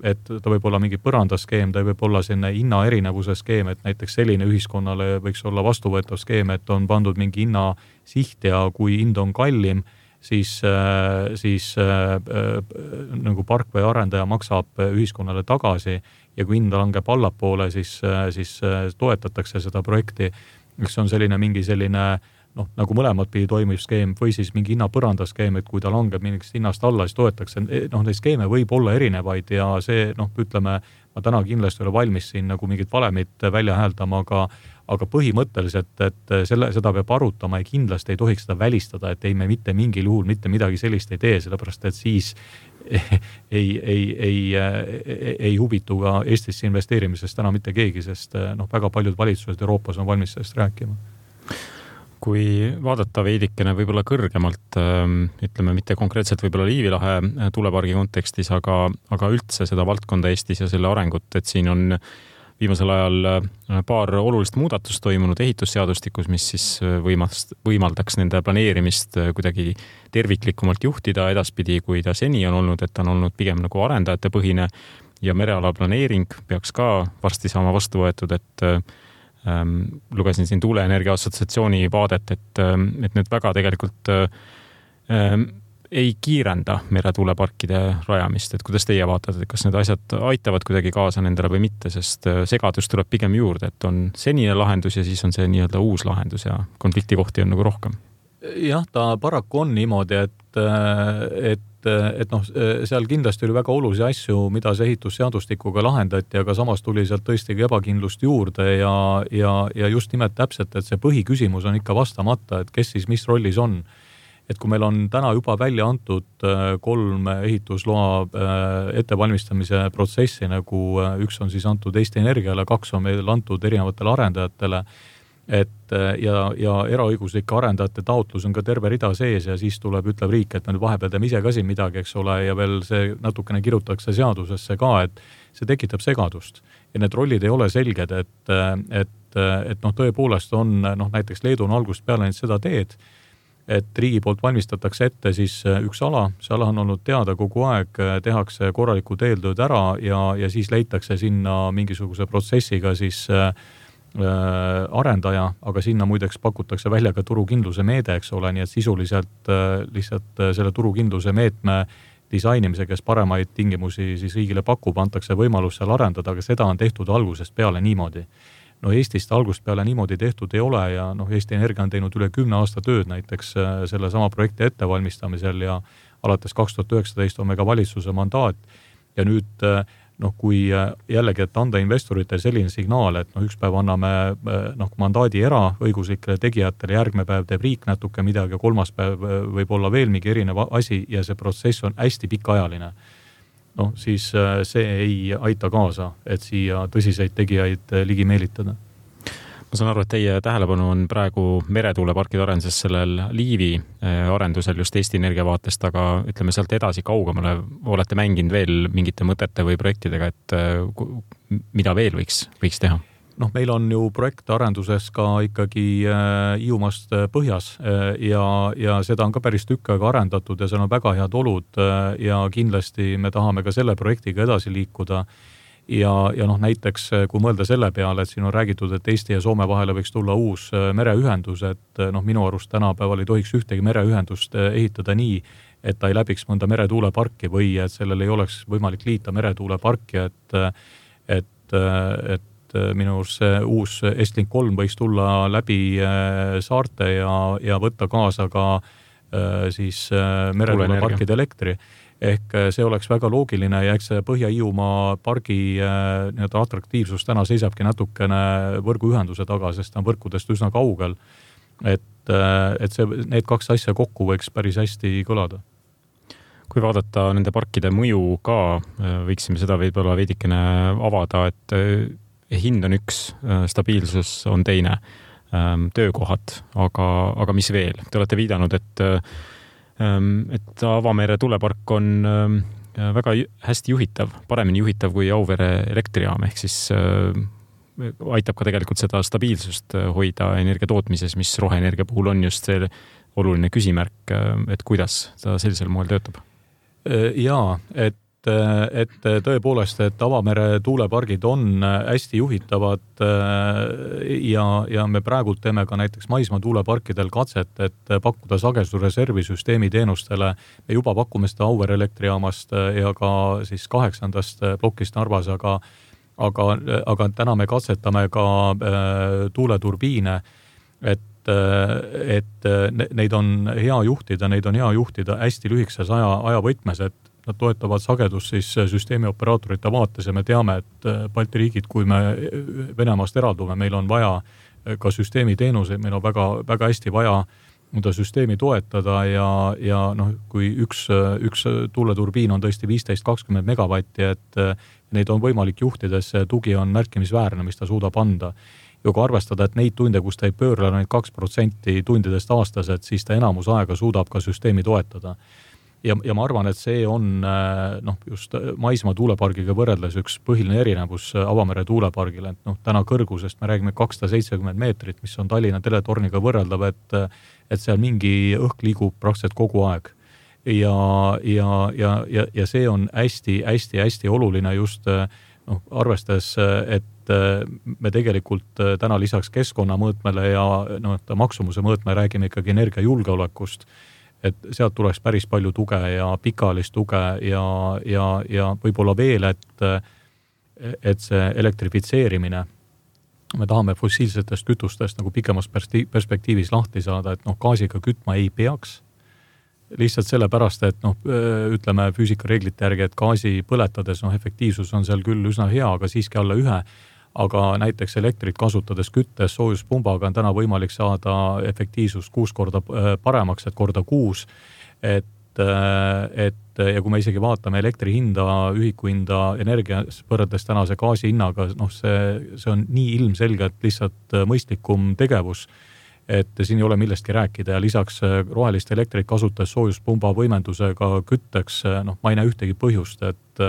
et ta võib olla mingi põrandaskeem, ta võib olla selline hinna erinevuse skeem, et näiteks selline ühiskonnale võiks olla vastuvõetav skeem, et on pandud mingi hinna siht ja kui hind on kallim, siis, siis äh, nagu park või arendaja maksab ühiskonnale tagasi ja kui hind langeb allapoole, siis, siis toetatakse seda projekti, mis on selline mingi selline noh, nagu mõlemad pidi toimiv skeem või siis mingi hinnapõrandaskeem, et kui ta langeb mingist hinnast alla, siis toetakse. Noh, neid skeeme võib olla erinevaid ja see, noh, ütleme, ma täna kindlasti ole valmis siin nagu mingit valemit välja hääldama, aga, aga põhimõtteliselt, et selle, seda peab arutama ja kindlasti ei tohiks seda välistada, et ei me mitte mingil juhul mitte midagi sellist ei tee, sellepärast et siis ei, ei, ei, ei, ei huvitu ka Eestisse investeerimisest täna mitte keegi, sest noh, väga paljud valitsused Euroopas on valmis sellest rääkima. Kui vaadata veidikene võib-olla kõrgemalt, ütleme mitte konkreetselt võib-olla Liivilahe tulepargi kontekstis, aga, aga üldse seda valdkonda Eestis ja selle arengut, et siin on viimasel ajal paar olulist muudatust toimunud ehitusseadustikus, mis siis võimast, võimaldaks nende planeerimist kuidagi terviklikumalt juhtida edaspidi, kui ta seni on olnud, et on olnud pigem nagu arendajate põhine ja mereala planeering peaks ka varsti saama vastu võetud, et ähm, lugesin siin Tuuleenergia Assotsiatsiooni vaadet, et, et need väga tegelikult ähm, ei kiirenda meretuuleparkide rajamist, et kuidas teie vaatate, et kas need asjad aitavad kuidagi kaasa nendele või mitte, sest segadus tuleb pigem juurde, et on senine lahendus ja siis on see nii-öelda uus lahendus ja konfliktikohti on nagu rohkem. Jah, ta paraku on niimoodi, et, et, et noh, seal kindlasti oli väga olulisi asju, mida see ehitusseadustikuga lahendati, aga samas tuli sealt tõesti ebakindlust juurde ja, ja, ja just nimelt täpselt, et see põhiküsimus on ikka vastamata, et kes siis mis rollis on. Et kui meil on täna juba välja antud kolm ehitusloa ettevalmistamise protsessi, nagu üks on siis antud Eesti Energiale, kaks on meil antud erinevatele arendajatele, et ja, ja eraõiguslike arendajate taotlus on ka terve rida sees ja siis tuleb, ütleb riik, et me vahepeal teeme ise ka siin midagi, eks ole, ja veel see natukene kirjutatakse seadusesse ka, et see tekitab segadust. Ja need rollid ei ole selged, et, et, et noh, tõepoolest on, noh, näiteks Leedu on algusest peale nüüd seda teed, et riigi poolt valmistatakse ette siis üks ala, see ala on olnud teada kogu aeg, tehakse korralikud eeltööd ära ja, ja siis leitakse sinna mingisuguse protsessiga siis äh, arendaja, aga sinna muideks pakutakse välja ka turukindluse meede, eks ole, nii et sisuliselt äh, lihtsalt selle turukindluse meetme disainimise, kes paremaid tingimusi siis riigile pakub, antakse võimalus seal arendada, aga seda on tehtud algusest peale niimoodi. No Eestist algust peale niimoodi tehtud ei ole ja noh, Eesti Energia on teinud üle kümne aasta tööd näiteks selle sama projekti ettevalmistamisel ja alates kaks tuhat üheksateist on me ka valitsuse mandaat ja nüüd noh, kui jällegi, et anda investorite selline signaal, et noh, üks päev anname noh, mandaadi eraõiguslikele tegijatele, järgmine päev teeb riik natuke midagi, kolmas päev võib olla veel mingi erinev asi ja see protsess on hästi pikaajaline. No siis see ei aita kaasa, et siia tõsiseid tegijaid ligi meelitada. Ma saan aru, et teie tähelepanu on praegu meretuuleparkide arenduses sellel Liivi arendusel just Eesti Energia vaatest, aga ütleme sealt edasi kaugemale olete mänginud veel mingite mõtete või projektidega, et mida veel võiks, võiks teha? noh, meil on ju projektarenduses ka ikkagi Hiiumaast põhjas ja, ja seda on ka päris tükk aega arendatud ja seal on väga head olud ja kindlasti me tahame ka selle projektiga edasi liikuda. Ja, ja noh, näiteks kui mõelda selle peale, et siin on räägitud, et Eesti ja Soome vahele võiks tulla uus mereühendus, et noh, minu arust tänapäeval ei tohiks ühtegi mereühendust ehitada nii, et ta ei läbiks mõnda meretuuleparki või et sellel ei oleks võimalik liita meretuuleparki, et, et, et minu arust see uus Estlink kolm võiks tulla läbi saarte ja, ja võtta kaasa ka siis meretuuleparkide elektri. ehk see oleks väga loogiline ja eks see Põhja-Hiiumaa pargi nii-öelda atraktiivsus täna seisabki natukene võrguühenduse taga, sest ta on võrkudest üsna kaugel. Et, et see, need kaks asja kokku võiks päris hästi kõlada. Kui vaadata nende parkide mõju ka, võiksime seda võib-olla veidikene avada, et hind on üks, stabiilsus on teine, töökohad, aga, aga mis veel? Te olete viidanud, et et Avamere tuulepark on väga hästi juhitav, paremini juhitav kui Auvere elektrijaam, ehk siis aitab ka tegelikult seda stabiilsust hoida energia tootmises, mis roheenergia puhul on just see oluline küsimärk, et kuidas ta sellisel moel töötab. Jaa, et et tõepoolest, et Avamere tuulepargid on hästi juhitavad ja, ja me praegult teeme ka näiteks maismaa tuuleparkidel katset, et pakkuda sagedusreservisüsteemi teenustele. Me juba pakume seda Auvere elektrijaamast ja ka siis kaheksandast plokist Narvas, aga, aga, aga täna me katsetame ka tuuleturbiine, et, et neid on hea juhtida, neid on hea juhtida hästi lühikeses aja, aja võtmes, et nad toetavad sagedust siis süsteemi operaatorite vaates ja me teame, et Balti riigid, kui me Venemaast eraldume, meil on vaja ka süsteemi teenuseid, meil on väga, väga hästi vaja mõnda süsteemi toetada ja, ja noh, kui üks, üks tuuleturbiin on tõesti viisteist kakskümmend megavatti, et neid on võimalik juhtides, tugi on märkimisväärne, mis ta suudab anda. Ja kui arvestada, et neid tunde, kus ta ei pöörle neid kaks protsenti tundidest aastas, et siis ta enamus aega suudab ka süsteemi toetada. Ja, ja ma arvan, et see on noh, just maismaa tuulepargiga võrreldes üks põhiline erinevus Avamere tuulepargile. Et noh, täna kõrgusest me räägime kakssada seitsekümmend meetrit, mis on Tallinna teletorniga võrreldav, et, et seal mingi õhk liigub praktiliselt kogu aeg. Ja, ja, ja, ja, ja see on hästi, hästi, hästi oluline just noh, arvestades, et me tegelikult täna lisaks keskkonnamõõtmele ja no, maksumuse mõõtme räägime ikkagi energiajulgeolekust, et sealt tuleks päris palju tuge ja pikaajalist tuge ja, ja, ja võib-olla veel, et, et see elektrifitseerimine, me tahame fossiilsetest kütustest nagu pikemas perspektiivis lahti saada, et noh, gaasiga kütma ei peaks. Lihtsalt sellepärast, et noh, ütleme füüsikareeglite järgi, et gaasi põletades noh, efektiivsus on seal küll üsna hea, aga siiski alla ühe. Aga näiteks elektrit kasutades küttes soojuspumbaga on täna võimalik saada efektiivsus kuus korda paremaks, et korda kuus. Et, et, ja kui me isegi vaatame elektri hinda, ühiku hinda energias võrreldes tänase gaasi hinnaga, noh see, see on nii ilmselgelt lihtsalt mõistlikum tegevus, et siin ei ole millestki rääkida ja lisaks rohelist elektrit kasutades soojuspumba võimendusega kütteks, noh ma ei näe ühtegi põhjust, et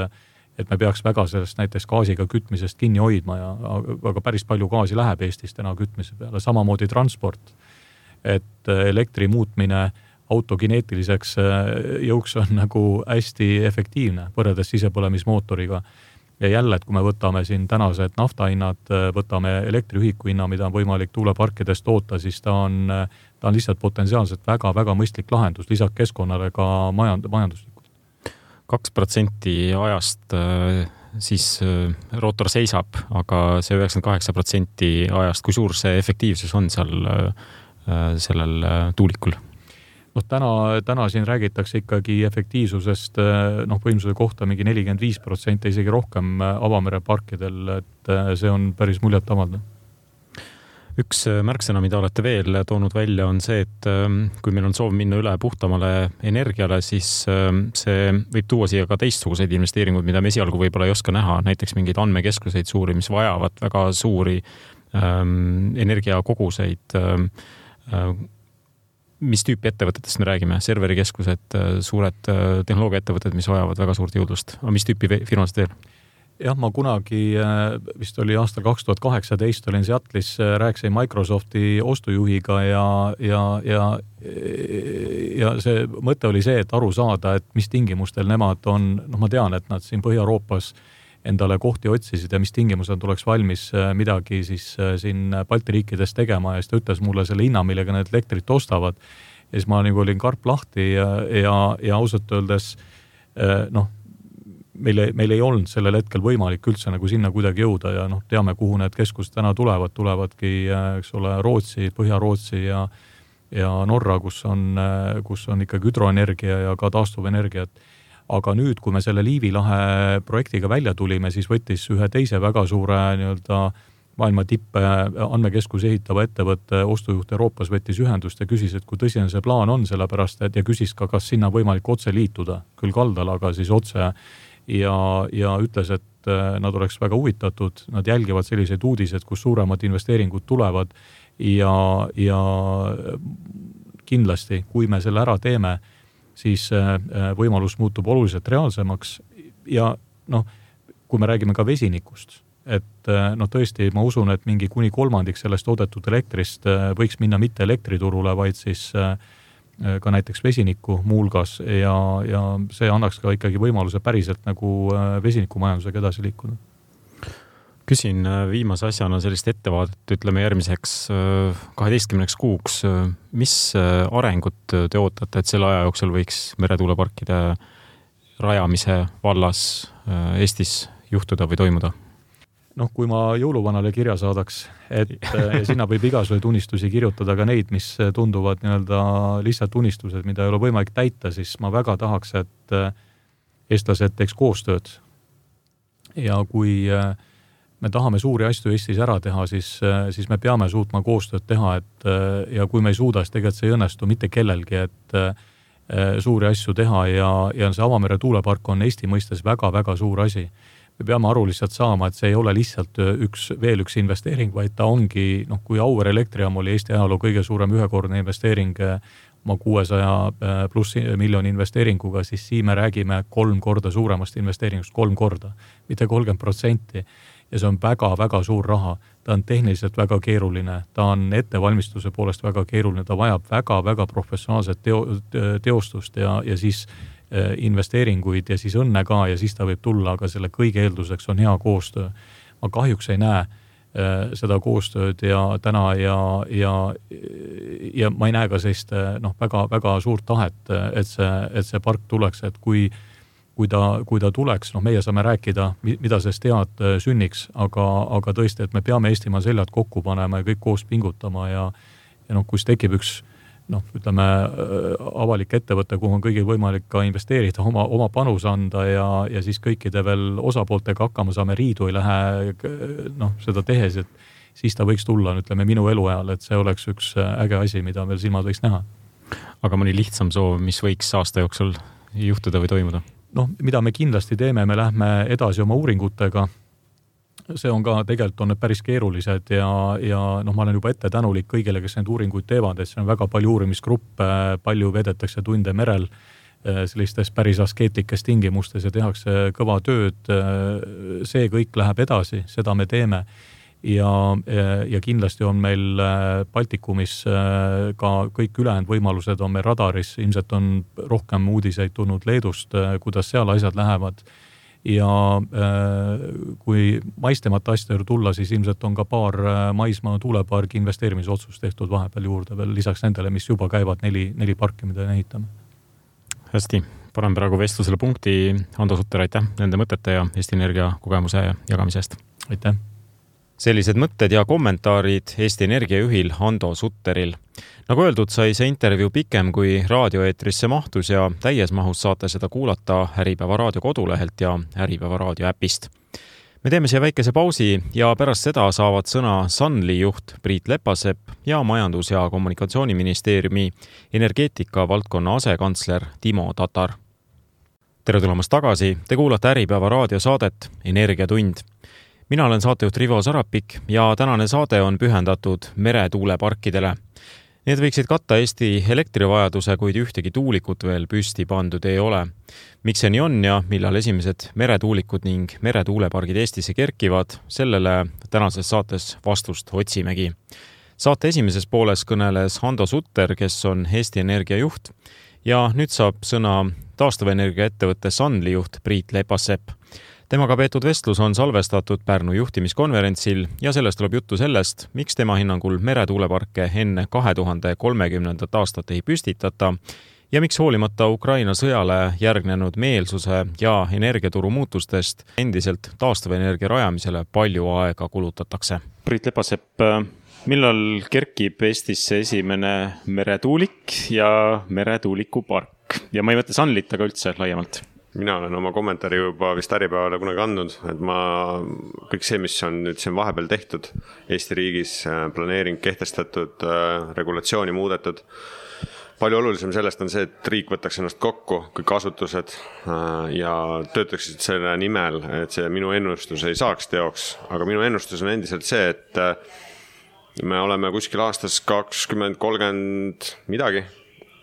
et me peaks väga sellest näiteks gaasiga kütmisest kinni hoidma ja aga päris palju gaasi läheb Eestis täna kütmise peale. Samamoodi transport, et elektri muutmine autokineetiliseks jõuks on nagu hästi efektiivne võrreldes sisepõlemismootoriga. Ja jälle, et kui me võtame siin tänased naftahinnad, võtame elektriühiku hinna, mida on võimalik tuuleparkidest toota, siis ta on, ta on lihtsalt potentsiaalselt väga, väga mõistlik lahendus, lisaks keskkonnale ka majand, majanduslik. Kaks protsenti ajast siis rootor seisab, aga see üheksakümmend kaheksa protsenti ajast, kui suur see efektiivsus on seal sellel tuulikul? No, täna, täna siin räägitakse ikkagi efektiivsusest noh, võimsuse kohta mingi nelikümmend viis protsenti, isegi rohkem Avamere parkidel, et see on päris muljet avaldav. Üks märksõna, mida olete veel toonud välja, on see, et kui meil on soov minna üle puhtamale energiale, siis see võib tuua siia ka teistsuguseid investeeringuid, mida me esialgu võib-olla ei oska näha, näiteks mingeid andmekeskuseid suuri, mis vajavad väga suuri ähm, energiakoguseid. Ähm, mis tüüpi ettevõtetest me räägime? Serverikeskused, suured tehnoloogiaettevõtted, mis vajavad väga suurt jõudlust. Aga mis tüüpi firmast veel? Jah, ma kunagi, vist oli aastal kaks tuhat kaheksateist, olin Seattle'is, rääkisin Microsofti ostujuhiga ja, ja, ja, ja see mõte oli see, et aru saada, et mis tingimustel nemad on, noh ma tean, et nad siin Põhja-Euroopas endale kohti otsisid ja mis tingimused tuleks valmis midagi siis siin Balti riikides tegema ja siis ta ütles mulle selle hinna, millega need elektrit ostavad. Ja siis ma nagu olin karp lahti ja, ja, ja ausalt öeldes noh, Meil, meil ei olnud sellel hetkel võimalik üldse nagu sinna kuidagi jõuda ja noh, teame, kuhu need keskused täna tulevad, tulevadki, eks ole, Rootsi, Põhja-Rootsi ja, ja Norra, kus on, kus on ikkagi hüdroenergia ja ka taastuvenergiat. aga nüüd, kui me selle Liivi lahe projektiga välja tulime, siis võttis ühe teise väga suure nii-öelda maailma tippe andmekeskus ehitava ettevõtte ostujuht Euroopas võttis ühendust ja küsis, et kui tõsine see plaan on, sellepärast, et ja küsis ka, kas sinna võimalik otse liituda, küll kaldal, aga siis otse ja, ja ütles, et nad oleks väga huvitatud, nad jälgivad selliseid uudised, kus suuremad investeeringud tulevad ja, ja kindlasti, kui me selle ära teeme, siis võimalus muutub oluliselt reaalsemaks ja noh, kui me räägime ka vesinikust, et noh, tõesti ma usun, et mingi kuni kolmandik sellest toodetud elektrist võiks minna mitte elektriturule, vaid siis ka näiteks vesiniku muulgas ja, ja see annaks ka ikkagi võimaluse päriselt nagu vesinikumajandusega edasi liikuda. Küsin viimase asjana sellist ettevaadet, ütleme järgmiseks kaheteistkümneks kuuks. Mis arengut te ootate, et selle aja jooksul võiks meretuuleparkide rajamise vallas Eestis juhtuda või toimuda? Noh, kui ma jõuluvanale kirja saadaks, et ja sinna võib igasuguseid unistusi kirjutada ka neid, mis tunduvad nii-öelda lihtsalt unistused, mida ei ole võimalik täita, siis ma väga tahaks, et eestlased teeks koostööd. Ja kui me tahame suuri asju Eestis ära teha, siis, siis me peame suutma koostööd teha, et ja kui me ei suuda, siis tegelikult see ei õnnestu mitte kellelgi, et suuri asju teha ja, ja see avamere tuulepark on Eesti mõistes väga-väga suur asi. Me peame aru lihtsalt saama, et see ei ole lihtsalt üks, veel üks investeering, vaid ta ongi, noh, kui Auvere elektrijaam oli Eesti ajaloo kõige suurem ühekordne investeering oma kuuesaja pluss miljoni investeeringuga, siis siin me räägime kolm korda suuremast investeeringust, kolm korda, mitte kolmkümmend protsenti. Ja see on väga-väga suur raha. Ta on tehniliselt väga keeruline, ta on ettevalmistuse poolest väga keeruline, ta vajab väga-väga professionaalset teo, teostust ja, ja siis investeeringuid ja siis õnne ka ja siis ta võib tulla, aga selle kõige eelduseks on hea koostöö. Ma kahjuks ei näe seda koostööd ja täna ja, ja, ja ma ei näe ka sellist noh, väga, väga suurt tahet, et see, et see park tuleks, et kui Kui ta, kui ta tuleks, noh, meie saame rääkida, mida sellest head sünniks, aga, aga tõesti, et me peame Eestimaa seljad kokku panema ja kõik koos pingutama ja, ja noh, kus tekib üks, noh, ütleme, avalik ettevõte, kuhu on kõigil võimalik ka investeerida, oma, oma panus anda ja, ja siis kõikide veel osapooltega hakkama saame, riidu ei lähe, noh, seda tehes, et siis ta võiks tulla, ütleme, minu eluajal, et see oleks üks äge asi, mida veel silmad võiks näha. Aga mõni lihtsam soov, mis võiks aasta jooksul juhtuda või toimuda? Noh, mida me kindlasti teeme, me lähme edasi oma uuringutega. See on ka, tegelikult on need päris keerulised ja, ja noh, ma olen juba ette tänulik kõigile, kes need uuringuid teevad, et see on väga palju uurimisgruppe, palju vedetakse tunde merel sellistes päris askeetlikes tingimustes ja tehakse kõva tööd. See kõik läheb edasi, seda me teeme. Ja, ja kindlasti on meil Baltikumis ka kõik ülejäänud võimalused on meil radaris, ilmselt on rohkem uudiseid tulnud Leedust, kuidas seal asjad lähevad ja kui maistemata asjade tulla, siis ilmselt on ka paar maismaa tuulepargi investeerimisotsust tehtud vahepeal juurde veel lisaks nendele, mis juba käivad neli, neli parki, mida ehitame. Hästi, panen praegu vestlusele punkti. Hando Sutter, aitäh nende mõtete ja Eesti Energia kogemuse jagamisest. Aitäh. Sellised mõtted ja kommentaarid Eesti Energia juhil Hando Sutteril. Nagu öeldud, sai see intervjuu pikem kui raadioeetrisse mahtus ja täies mahus saate seda kuulata Äripäeva raadio kodulehelt ja Äripäeva raadio äpist. Me teeme siia väikese pausi ja pärast seda saavad sõna Sunly juht Priit Lepasepp ja Majandus- ja Kommunikatsiooniministeeriumi energeetika valdkonna asekantsler Timo Tatar. Tere tulemast tagasi, te kuulate Äripäeva raadio saadet Energiatund. Mina olen saatejuht Rivo Sarapik ja tänane saade on pühendatud meretuuleparkidele. Need võiksid katta Eesti elektrivajaduse, kuid ühtegi tuulikut veel püsti pandud ei ole. Miks see nii on ja millal esimesed meretuulikud ning meretuulepargid Eestisse kerkivad, sellele tänases saates vastust otsimegi. Saate esimeses pooles kõneles Hando Sutter, kes on Eesti Energia juht ja nüüd saab sõna taastuvenergia ettevõtte Sunly juht Priit Lepasepp. Temaga peetud vestlus on salvestatud Pärnu juhtimiskonverentsil ja sellest tuleb juttu sellest, miks tema hinnangul meretuuleparke enne kahe tuhande kolmekümnendat aastat ei püstitata ja miks hoolimata Ukraina sõjale järgnenud meelsuse ja energiaturu muutustest endiselt taastuvenergia rajamisele palju aega kulutatakse. Priit Lepasepp, millal kerkib Eestisse esimene meretuulik ja meretuulikupark? Ja ma ei mõtle Sunlyt, aga üldse laiemalt. mina olen oma kommentaari juba vist Äripäevale kunagi andnud, et ma kõik see, mis on nüüd siin vahepeal tehtud Eesti riigis, planeering kehtestatud, regulatsiooni muudetud, palju olulisem sellest on see, et riik võtaks ennast kokku, kõik asutused ja töötaksid selle nimel, et see minu ennustus ei saaks teoks, aga minu ennustus on endiselt see, et me oleme kuskil aastas kakskümmend kolmkümmend midagi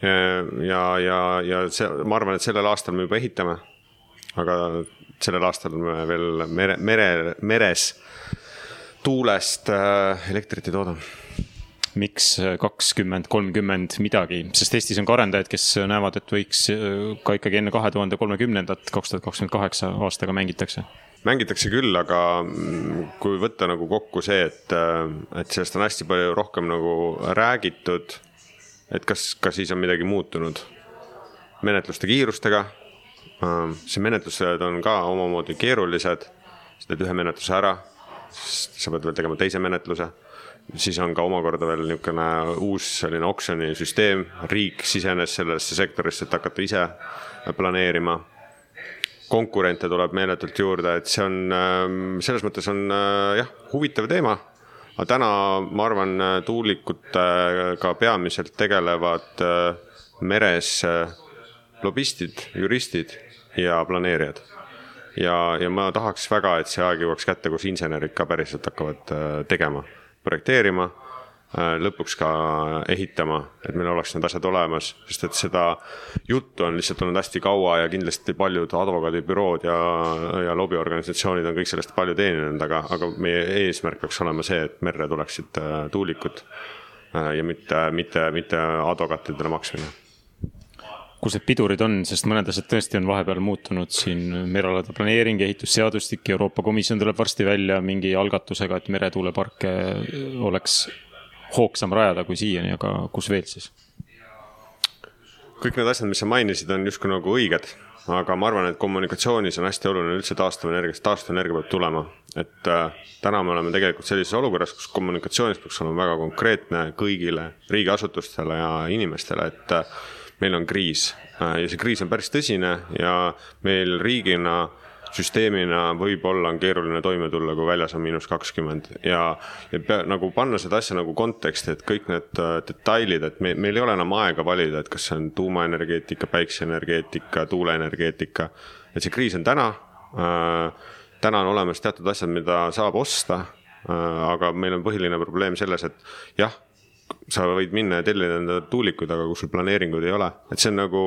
ja, ja, ja see, ma arvan, et sellel aastal me juba ehitame, aga sellel aastal me veel mere, mere, meres tuulest elektrit ei tooda. Miks kakskümmend kolmkümmend midagi? Sest Eestis on ka arendajaid, kes näevad, et võiks ka ikkagi enne kahe tuhande kolmekümnendat kaks tuhat kakskümmend kaheksa aastaga mängitakse. Mängitakse küll, aga kui võtta nagu kokku see, et, et sellest on hästi palju rohkem nagu räägitud, et kas, kas siis on midagi muutunud menetluste kiirustega. See menetlused on ka omamoodi keerulised, sa teed ühe menetluse ära, sa pead veel tegema teise menetluse, siis on ka omakorda veel niisugune uus selline oksjoni süsteem, riik sisenes sellesse sektorisse, et hakata ise planeerima. Konkurente tuleb meeletult juurde, et see on, selles mõttes on jah, huvitav teema. Aga täna, ma arvan, tuulikutega peamiselt tegelevad meres lobistid, juristid ja planeerijad. Ja, ja ma tahaks väga, et see aeg jõuaks kätte, kus insenerid ka päriselt hakkavad tegema, projekteerima, lõpuks ka ehitama, et meil oleks need asjad olemas, sest et seda juttu on lihtsalt olnud hästi kaua ja kindlasti paljud advokaadibürood ja, ja lobiorganisatsioonid on kõik sellest palju teeninud, aga, aga meie eesmärk peaks olema see, et merre tuleksid tuulikud ja mitte, mitte, mitte advokaatidele maksmine. Kus need pidurid on, sest mõned asjad tõesti on vahepeal muutunud siin merealade planeering, ehitusseadustik, Euroopa Komisjon tuleb varsti välja mingi algatusega, et meretuuleparke oleks hoogsam rajada kui siiani, aga kus veel siis? Kõik need asjad, mis sa mainisid, on justkui nagu õiged, aga ma arvan, et kommunikatsioonis on hästi oluline üldse taastuvenergia, taastuvenergia peab tulema. Et äh, täna me oleme tegelikult sellises olukorras, kus kommunikatsioonis peaks olema väga konkreetne kõigile riigiasutustele ja inimestele, et äh, meil on kriis äh, ja see kriis on päris tõsine ja meil riigina süsteemina võib-olla on keeruline toime tulla, kui väljas on miinus kakskümmend ja, ja pea, nagu panna seda asja nagu konteksti, et kõik need detailid, et me, meil ei ole enam aega valida, et kas see on tuumaenergeetika, päikseenergeetika, tuuleenergeetika, et see kriis on täna, äh, täna on olemas teatud asjad, mida saab osta, äh, aga meil on põhiline probleem selles, et jah, sa võid minna ja tellida enda tuulikuid, aga kus sul planeeringuid ei ole. Et see on nagu,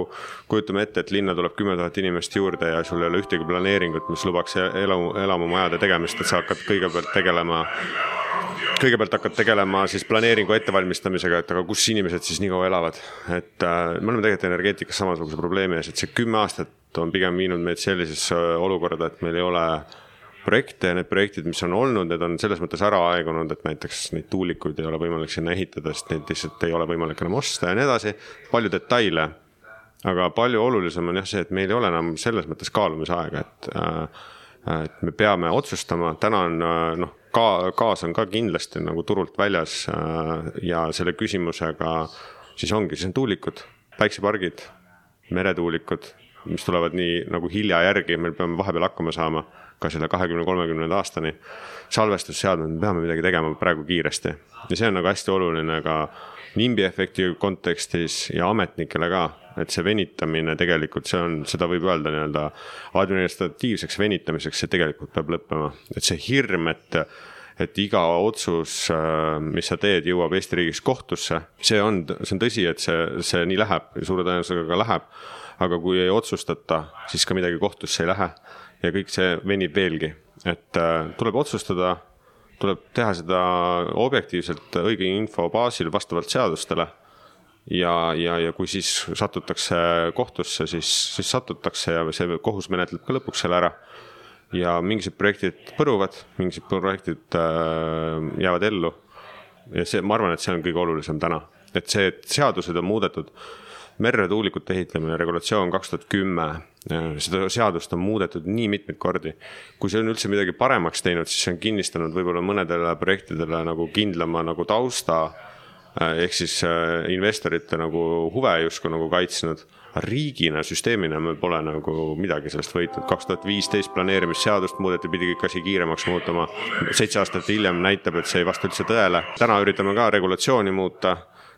kujutame ette, et linna tuleb kümme tuhat inimest juurde ja sul ei ole ühtegi planeeringut, mis lubaks elamu, elamumajade tegemist, et sa hakkad kõigepealt tegelema, kõigepealt hakkad tegelema siis planeeringu ettevalmistamisega, et aga kus inimesed siis nii kaua elavad. Et äh, me oleme tegelikult energeetikas samasuguse probleemi ees, et see kümme aastat on pigem viinud meid sellisesse olukorda, et meil ei ole projekte ja need projektid, mis on olnud, need on selles mõttes ära aegunud, et näiteks neid tuulikuid ei ole võimalik sinna ehitada, sest neid lihtsalt ei ole võimalik enam osta ja nii edasi. Palju detaile, aga palju olulisem on jah see, et meil ei ole enam selles mõttes kaalumisaega, et, et me peame otsustama. Täna on, noh, ka, gaas on ka kindlasti nagu turult väljas ja selle küsimusega siis ongi, siis on tuulikud, päiksepargid, meretuulikud, mis tulevad nii nagu hilja järgi, meil peame vahepeal hakkama saama ka selle kahekümne kolmekümne aastani salvestusseadmed, me peame midagi tegema praegu kiiresti. Ja see on nagu hästi oluline ka nimbi efekti kontekstis ja ametnikele ka, et see venitamine tegelikult, see on, seda võib öelda nii-öelda administratiivseks venitamiseks, see tegelikult peab lõppema. Et see hirm, et, et iga otsus, mis sa teed, jõuab Eesti riigis kohtusse, see on, see on tõsi, et see, see nii läheb ja suure tõenäosusega ka läheb, aga kui ei otsustata, siis ka midagi kohtusse ei lähe. Ja kõik see venib veelgi, et äh, tuleb otsustada, tuleb teha seda objektiivselt õige info baasil vastavalt seadustele ja, ja, ja kui siis satutakse kohtusse, siis, siis satutakse ja see kohus menetleb ka lõpuks selle ära ja mingised projektid põruvad, mingised projektid äh, jäävad ellu ja see, ma arvan, et see on kõige olulisem täna, et see, et seadused on muudetud. Merretuulikute ehitlemine, regulatsioon kaks tuhat kümme, seda seadust on muudetud nii mitmeid kordi. Kui see on üldse midagi paremaks teinud, siis see on kinnistanud võib-olla mõnedele projektidele nagu kindlama nagu tausta ehk siis investorite nagu huve justkui nagu kaitsnud. Riigina, süsteemina me pole nagu midagi sellest võitnud. kaks tuhat viisteist planeerimisseadust muudeti, pidi kõik asi kiiremaks muutuma. Seitse aastat hiljem näitab, et see ei vasta üldse tõele. Täna üritame ka regulatsiooni muuta.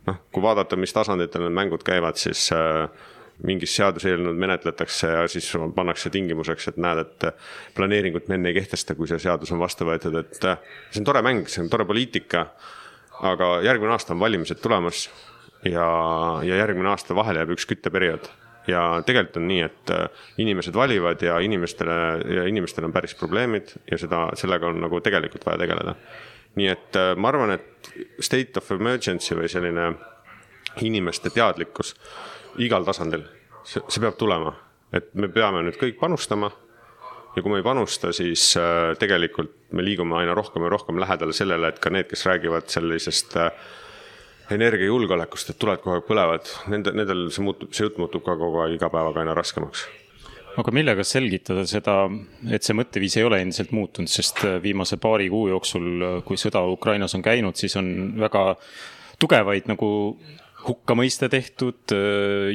Noh, kui vaadata, mis tasanditel need mängud käivad, siis mingis seaduseelnõud menetletakse ja siis pannakse tingimuseks, et näed, et planeeringut me enne ei kehtesta, kui see seadus on vastu võetud. Et see on tore mäng, see on tore poliitika, aga järgmine aasta on valimised tulemas. Ja, ja järgmine aasta vahele jääb üks kütteperiood ja tegelikult on nii, et inimesed valivad ja inimestele, ja inimestele on päris probleemid ja seda, sellega on nagu tegelikult vaja tegeleda. Nii et ma arvan, et state of emergency või selline inimeste teadlikkus igal tasandil, see, see peab tulema, et me peame nüüd kõik panustama ja kui me ei panusta, siis tegelikult me liigume aina rohkem ja rohkem lähedale sellele, et ka need, kes räägivad sellisest energiajulgeolekust, et tuled kogu aeg põlevad, nende, nendel see, muutub, see jutt muutub ka kogu aeg iga päevaga aina raskemaks. Aga millega selgitada seda, et see mõtteviis ei ole endiselt muutunud, sest viimase paari kuu jooksul, kui sõda Ukrainas on käinud, siis on väga tugevaid nagu hukkamõiste tehtud,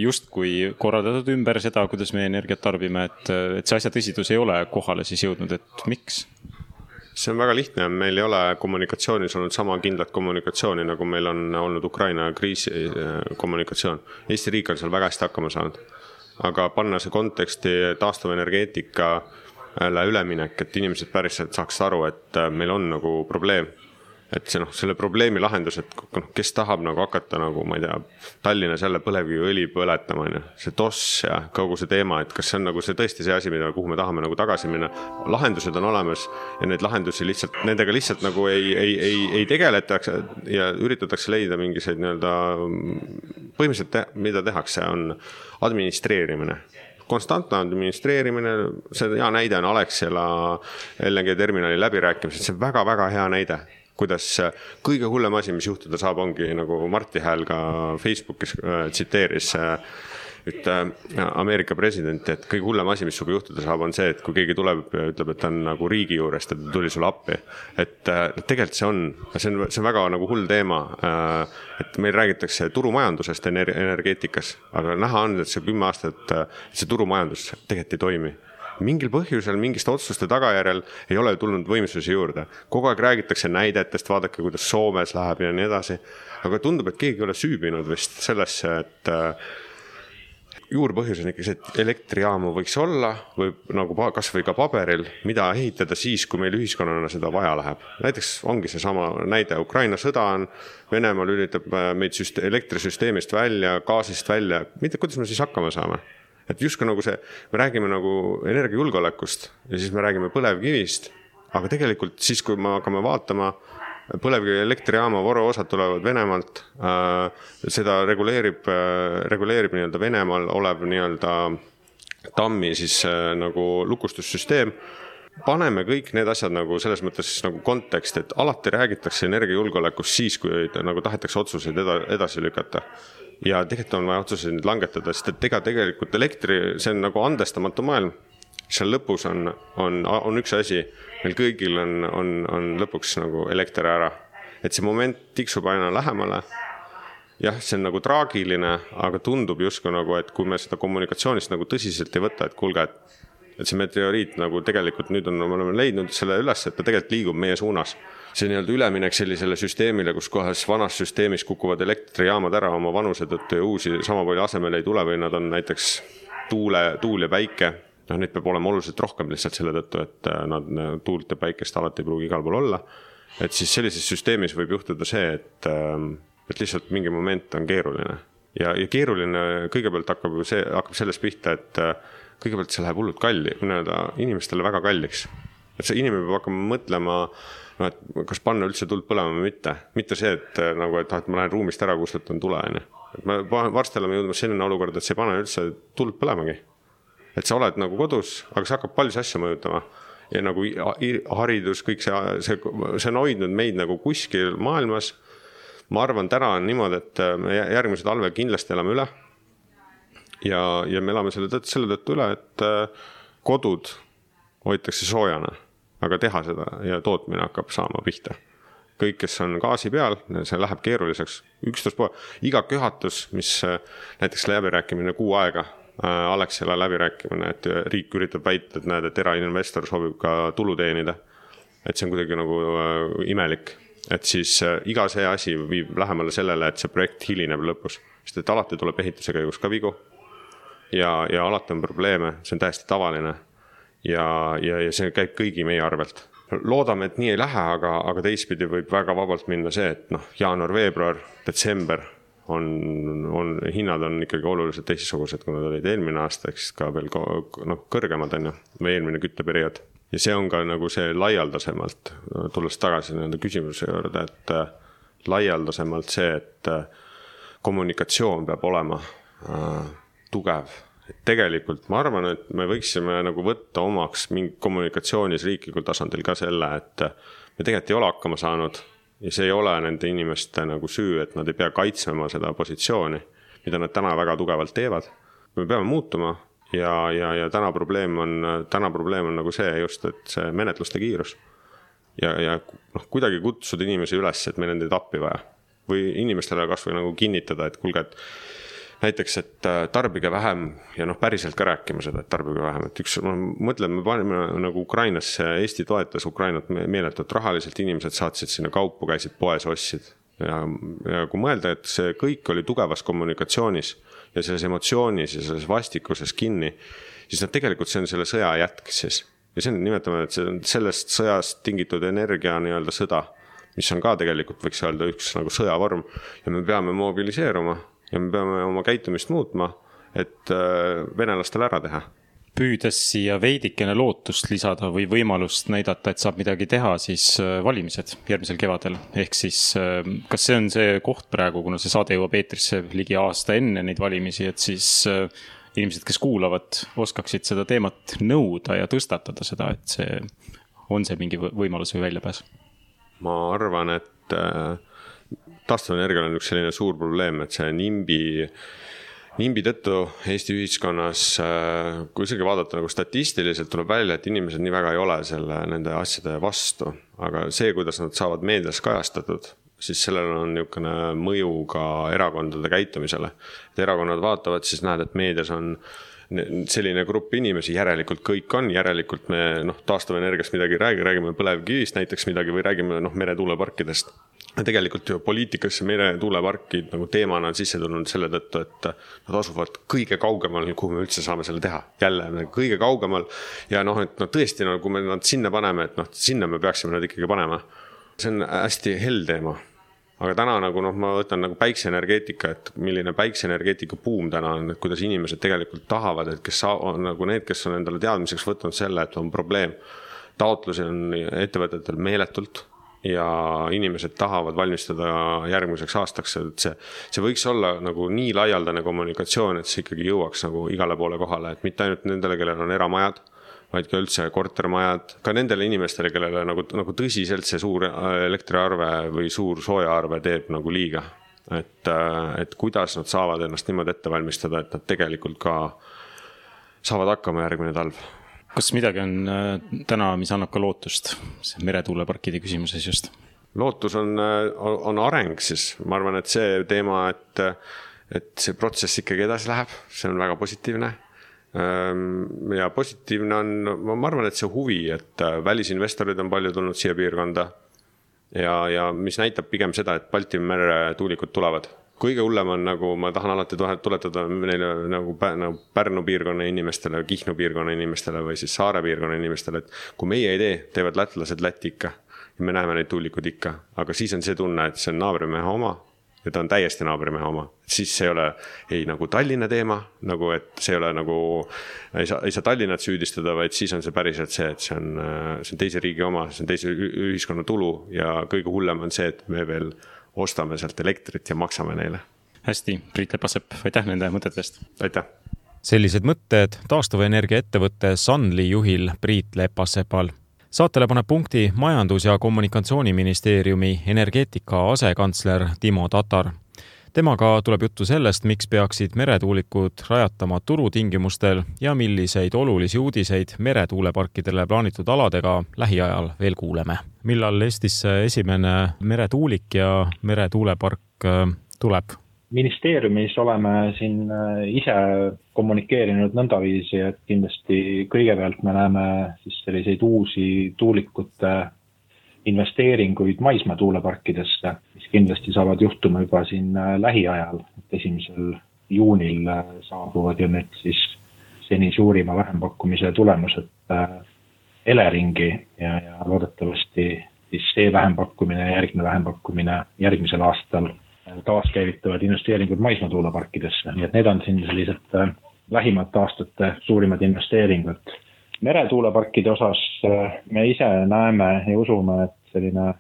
just kui korraldatud ümber seda, kuidas me energiat tarbime, et, et see asja tõsidus ei ole kohale siis jõudnud, et miks? See on väga lihtne, meil ei ole kommunikatsioonis olnud sama kindlat kommunikatsiooni, nagu meil on olnud Ukraina kriisi kommunikatsioon. Eesti riik on seal väga hästi hakkama saanud, aga panna see konteksti taastuvenergeetikale üleminek, et inimesed päriselt saaks aru, et meil on nagu probleem. Et see, noh, selle probleemi lahendus, et kes tahab nagu hakata nagu, ma ei tea, Tallinnas jälle põlevkiviõli põletama, see toss ja kogu see teema, et kas see on nagu see tõesti see asi, mida, kuhu me tahame nagu tagasi minna. Lahendused on olemas ja neid lahendusi lihtsalt, nendega lihtsalt nagu ei, ei, ei, ei tegeletakse ja üritatakse leida mingiseid nii-öelda põhimõtteliselt, te, mida tehakse, on administreerimine. Konstantne administreerimine, see hea näide on Alexela L N G terminali läbirääkimised, see on väga-väga hea näide. Kuidas kõige hullem asi, mis juhtuda saab, ongi nagu Marti Hääl ka Facebookis tsiteeris et Ameerika president, et kõige hullem asi, mis suga juhtuda saab, on see, et kui keegi tuleb ja ütleb, et ta on nagu riigi juurest, et ta tuli sulle appi. Et tegelikult see on, see on, see on väga nagu hull teema, et meil räägitakse turumajandusest energeetikas, aga näha on, et see kümme aastat, et see turumajandus tegelikult ei toimi. Mingil põhjusel, mingist otsuste tagajärjel ei ole tulnud võimsusi juurde. Kogu aeg räägitakse näidetest, vaadake, kuidas Soomes läheb ja nii edasi. Aga tundub, et keegi ei ole süübinud vist sellesse, et juurpõhjus on ikka see, et elektrijaamu võiks olla või nagu kas või ka paberil, mida ehitada siis, kui meil ühiskonnana seda vaja läheb. Näiteks ongi see sama näide, Ukraina sõda on, Venemaal üritab meid süste- elektrisüsteemist välja, gaasist välja, mitte kuidas me siis hakkama saame. Et justkui nagu see, me räägime nagu energiajulgeolekust ja siis me räägime põlevkivist, aga tegelikult siis, kui me hakkame vaatama, põlevkivi elektrijaama voruosad tulevad Venemaalt, äh, seda reguleerib, äh, reguleerib nii-öelda Venemaal olev nii-öelda tammi siis äh, nagu lukustussüsteem. Paneme kõik need asjad nagu selles mõttes nagu kontekst, et alati räägitakse energiajulgeolekust siis, kui nagu tahetakse otsuseid edasi lükata. Ja tegelikult on vaja otsuseid langetada, sest et ega tegelikult elektri, see on nagu andestamatu maailm. Seal lõpus on, on, on üks asi, meil kõigil on, on, on lõpuks nagu elekter ära. Et see moment tiksub aina lähemale. Jah, see on nagu traagiline, aga tundub justkui nagu, et kui me seda kommunikatsioonist nagu tõsiselt ei võta, et kuulge, et, et see meteoriit nagu tegelikult nüüd on, me oleme leidnud selle üles, et ta tegelikult liigub meie suunas. See nii-öelda üleminek sellisele süsteemile, kus kohas vanas süsteemis kukuvad elektrijaamad ära oma vanuse tõttu ja uusi sama palju asemel ei tule või nad on näiteks tuule, tuul ja päike. No, neid peab olema oluliselt rohkem lihtsalt selle tõttu, et nad tuult ja päikest alati ei pruugi igal pool olla. Et siis sellises süsteemis võib juhtuda see, et, et lihtsalt mingi moment on keeruline. Ja, ja keeruline kõigepealt hakkab, see, hakkab sellest pihta, et kõigepealt see läheb hullult kalli, inimestele väga kalliks. Et see inimene peab hakkama mõtlema, no, et kas panna üldse tuld põlema või mitte. Mitte see, et, nagu, et, et ma lähen ruumist ära, kustutan tule. Et me varsti oleme jõudmas selline olukord, et see ei pane üldse tuld põlemagi. Et sa oled nagu kodus, aga see hakkab palju asja mõjutama. Ja nagu haridus, kõik see, see, see on hoidnud meid nagu kuskil maailmas. Ma arvan, täna on niimoodi, et me järgmised talve kindlasti elame üle. Ja, ja me elame selle tõttu, selle tõttu üle, et kodud hoitakse soojana, aga teha seda ja tootmine hakkab saama pihta. kõik, kes on gaasi peal, see läheb keeruliseks. üksteist pool, iga köhatus, mis näiteks läbirääkimine kuu aega, Alexela läbirääkimine, et riik üritab väita, et näed, et erainvestor soovib ka tulu teenida. Et see on kuidagi nagu imelik. Et siis iga see asi viib lähemale sellele, et see projekt hilineb lõpus. Sest et alati tuleb ehituse käigus ka vigu ja, ja alati on probleeme, see on täiesti tavaline ja, ja, ja see käib kõigi meie arvelt. Loodame, et nii ei lähe, aga, aga teistpidi võib väga vabalt minna see, et noh, jaanuar, veebruar, detsember on, on, hinnad on ikkagi oluliselt teistsugused, kui nad olid eelmine aasta, eks ka veel no, kõrgemad on ju, või eelmine kütteperiood. Ja see on ka nagu see laialdasemalt, tulles tagasi nende küsimuse juurde, et laialdasemalt see, et kommunikatsioon peab olema äh, tugev. Et tegelikult ma arvan, et me võiksime nagu võtta omaks mingi kommunikatsioonis riiklikul tasandil ka selle, et me tegelikult ei ole hakkama saanud ja see ei ole nende inimeste nagu süü, et nad ei pea kaitsema seda positsiooni, mida nad täna väga tugevalt teevad. Me peame muutuma ja, ja, ja täna probleem on, täna probleem on nagu see just, et see menetluste kiirus ja, ja noh, kuidagi kutsuda inimesi üles, et meil on teid appi vaja või inimestele kas või nagu kinnitada, et kuulge, et näiteks, et tarbige vähem ja noh, päriselt ka rääkima seda, et tarbige vähem. Et üks, ma mõtlen, me panime nagu Ukrainasse, Eesti toetas Ukrainat meeletult rahaliselt, inimesed saatsid sinna kaupu, käisid poes, ostsid. Ja, ja kui mõelda, et see kõik oli tugevas kommunikatsioonis ja selles emotsioonis ja selles vastikuses kinni, siis nad tegelikult see on selle sõja jätk siis. Ja see on, nimetame, et see on sellest sõjast tingitud energia nii-öelda sõda, mis on ka tegelikult, võiks öelda, üks nagu sõjavorm ja me peame mobiliseeruma ja me peame oma käitumist muutma, et venelastele ära teha. Püüdes siia veidikene lootust lisada või võimalust näidata, et saab midagi teha, siis valimised järgmisel kevadel. Ehk siis, kas see on see koht praegu, kuna see saade jõuab eetrisse ligi aasta enne neid valimisi, et siis inimesed, kes kuulavad, oskaksid seda teemat nõuda ja tõstatada seda, et see on see mingi võimalus või väljapääs? Ma arvan, et taastuvenergial on üks selline suur probleem, et see nimbi, nimbi tõttu Eesti ühiskonnas, kui isegi vaadata nagu statistiliselt, tuleb välja, et inimesed nii väga ei ole selle, nende asjade vastu. Aga see, kuidas nad saavad meedias kajastatud, siis sellel on niisugune mõju ka erakondade käitumisele. Et erakonnad vaatavad, siis näed, et meedias on selline grupp inimesi, järelikult kõik on, järelikult me noh, taastuvenergiast midagi räägi, räägime põlevkivist näiteks midagi või räägime noh, meretuuleparkidest. Ja tegelikult ju poliitikasse meretuuleparkid nagu teemana on sisse tulnud selle tõttu, et nad asuvad kõige kaugemal, kuhu me üldse saame selle teha. Jälle kõige kaugemal ja noh, et no tõesti, no, kui me nad sinna paneme, et noh, sinna me peaksime nad ikkagi panema. See on hästi hell teema. Aga täna nagu noh, ma võtan nagu päikseenergeetika, et milline päikseenergeetika buum täna on, et kuidas inimesed tegelikult tahavad, et kes on nagu need, kes on endale teadmiseks võtnud selle, et on probleem. Taotlusi on ettevõtetel meeletult ja inimesed tahavad valmistada järgmiseks aastaks, et see, see võiks olla nagu nii laialdane kommunikatsioon, et see ikkagi jõuaks nagu igale poole kohale, et mitte ainult nendele, kellel on eramajad, vaid ka üldse kortermajad, ka nendele inimestele, kellele nagu, nagu tõsiselt see suur elektriarve või suur soojaarve teeb nagu liiga. Et, et kuidas nad saavad ennast niimoodi ette valmistada, et nad tegelikult ka saavad hakkama järgmine talv. Kas midagi on täna, mis annab ka lootust meretuuleparkide küsimuses just? Lootus on, on areng siis. Ma arvan, et see teema, et, et see protsess ikkagi edasi läheb, see on väga positiivne. Ja positiivne on, ma arvan, et see huvi, et välisinvestorid on palju tulnud siia piirkonda ja, ja mis näitab pigem seda, et Balti mere tuulikud tulevad. Kõige hullem on nagu, ma tahan alati tuletada neile nagu Pärnu piirkonna inimestele, Kihnu piirkonna inimestele või siis Saare piirkonna inimestele, et kui meie ei tee, teevad lätlased Läti ikka ja me näeme neid tuulikud ikka, aga siis on see tunne, et see on naabrimehe oma ja ta on täiesti naabrimehe oma. Siis see ei ole ei nagu Tallinna teema, nagu et see ei ole nagu, ei saa, ei saa Tallinnat süüdistada, vaid siis on see päriselt see, et see on, see on teise riigi oma, see on teise ühiskonna tulu ja kõige hullem on see, et me veel ostame sealt elektrit ja maksame neile. Hästi, Priit Lepasepp, aitäh nende mõtetest. Aitäh. Sellised mõtted taastuvenergia ettevõtte Sunly juhil Priit Lepasepal. Saatele paneb punkti Majandus- ja Kommunikatsiooniministeeriumi energeetika asekantsler Timo Tatar. Temaga tuleb juttu sellest, miks peaksid meretuulikud rajatama turutingimustel ja milliseid olulisi uudiseid meretuuleparkidele plaanitud aladega lähiajal veel kuuleme. Millal Eestisse esimene meretuulik ja meretuulepark tuleb? Ministeeriumis oleme siin ise kommunikeerinud nõndaviisi, et kindlasti kõigepealt me näeme siis selliseid uusi tuulikute investeeringuid maismaa tuuleparkidesse, mis kindlasti saavad juhtuma juba siin lähiajal. Esimesel juunil saabuvad ju nüüd siis seni suurima vähempakkumise tulemused Eleringi ja, ja loodetavasti siis see vähempakkumine ja järgmine vähempakkumine järgmisel aastal taaskäivitavad investeeringud maismaa tuuleparkidesse. Nii et need on siin sellised lähimate aastate suurimad investeeringud. Meretuuleparkide osas me ise näeme ja usume, et selline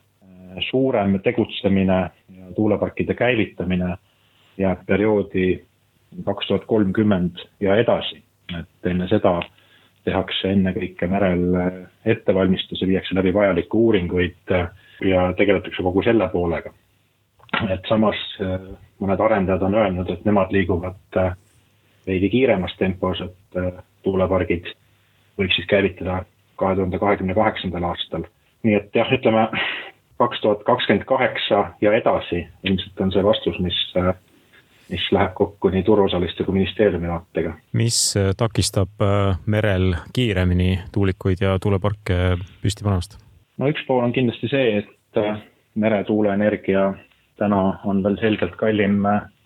suurem tegutsemine ja tuuleparkide käivitamine jääb perioodi kaks tuhat kolmkümmend ja edasi. Et enne seda tehakse enne kõike merel ettevalmistuse, viiakse läbi vajalikke uuringuid ja tegeletakse kogu selle poolega. Et samas mõned arendajad on öelnud, et nemad liiguvad veidi kiiremas tempos, et tuulepargid võiks siis käivitada kahe tuhande kahekümne kaheksandal aastal. Nii et jah, ütleme kaks tuhat kakskümmend kaheksa ja edasi ilmselt on see vastus, mis, mis läheb kokku nii turuosaliste kui ministeeriumi vaatega. Mis takistab merel kiiremini tuulikuid ja tuuleparke püsti panemast? No üks pool on kindlasti see, et meretuuleenergia täna on veel selgelt kallim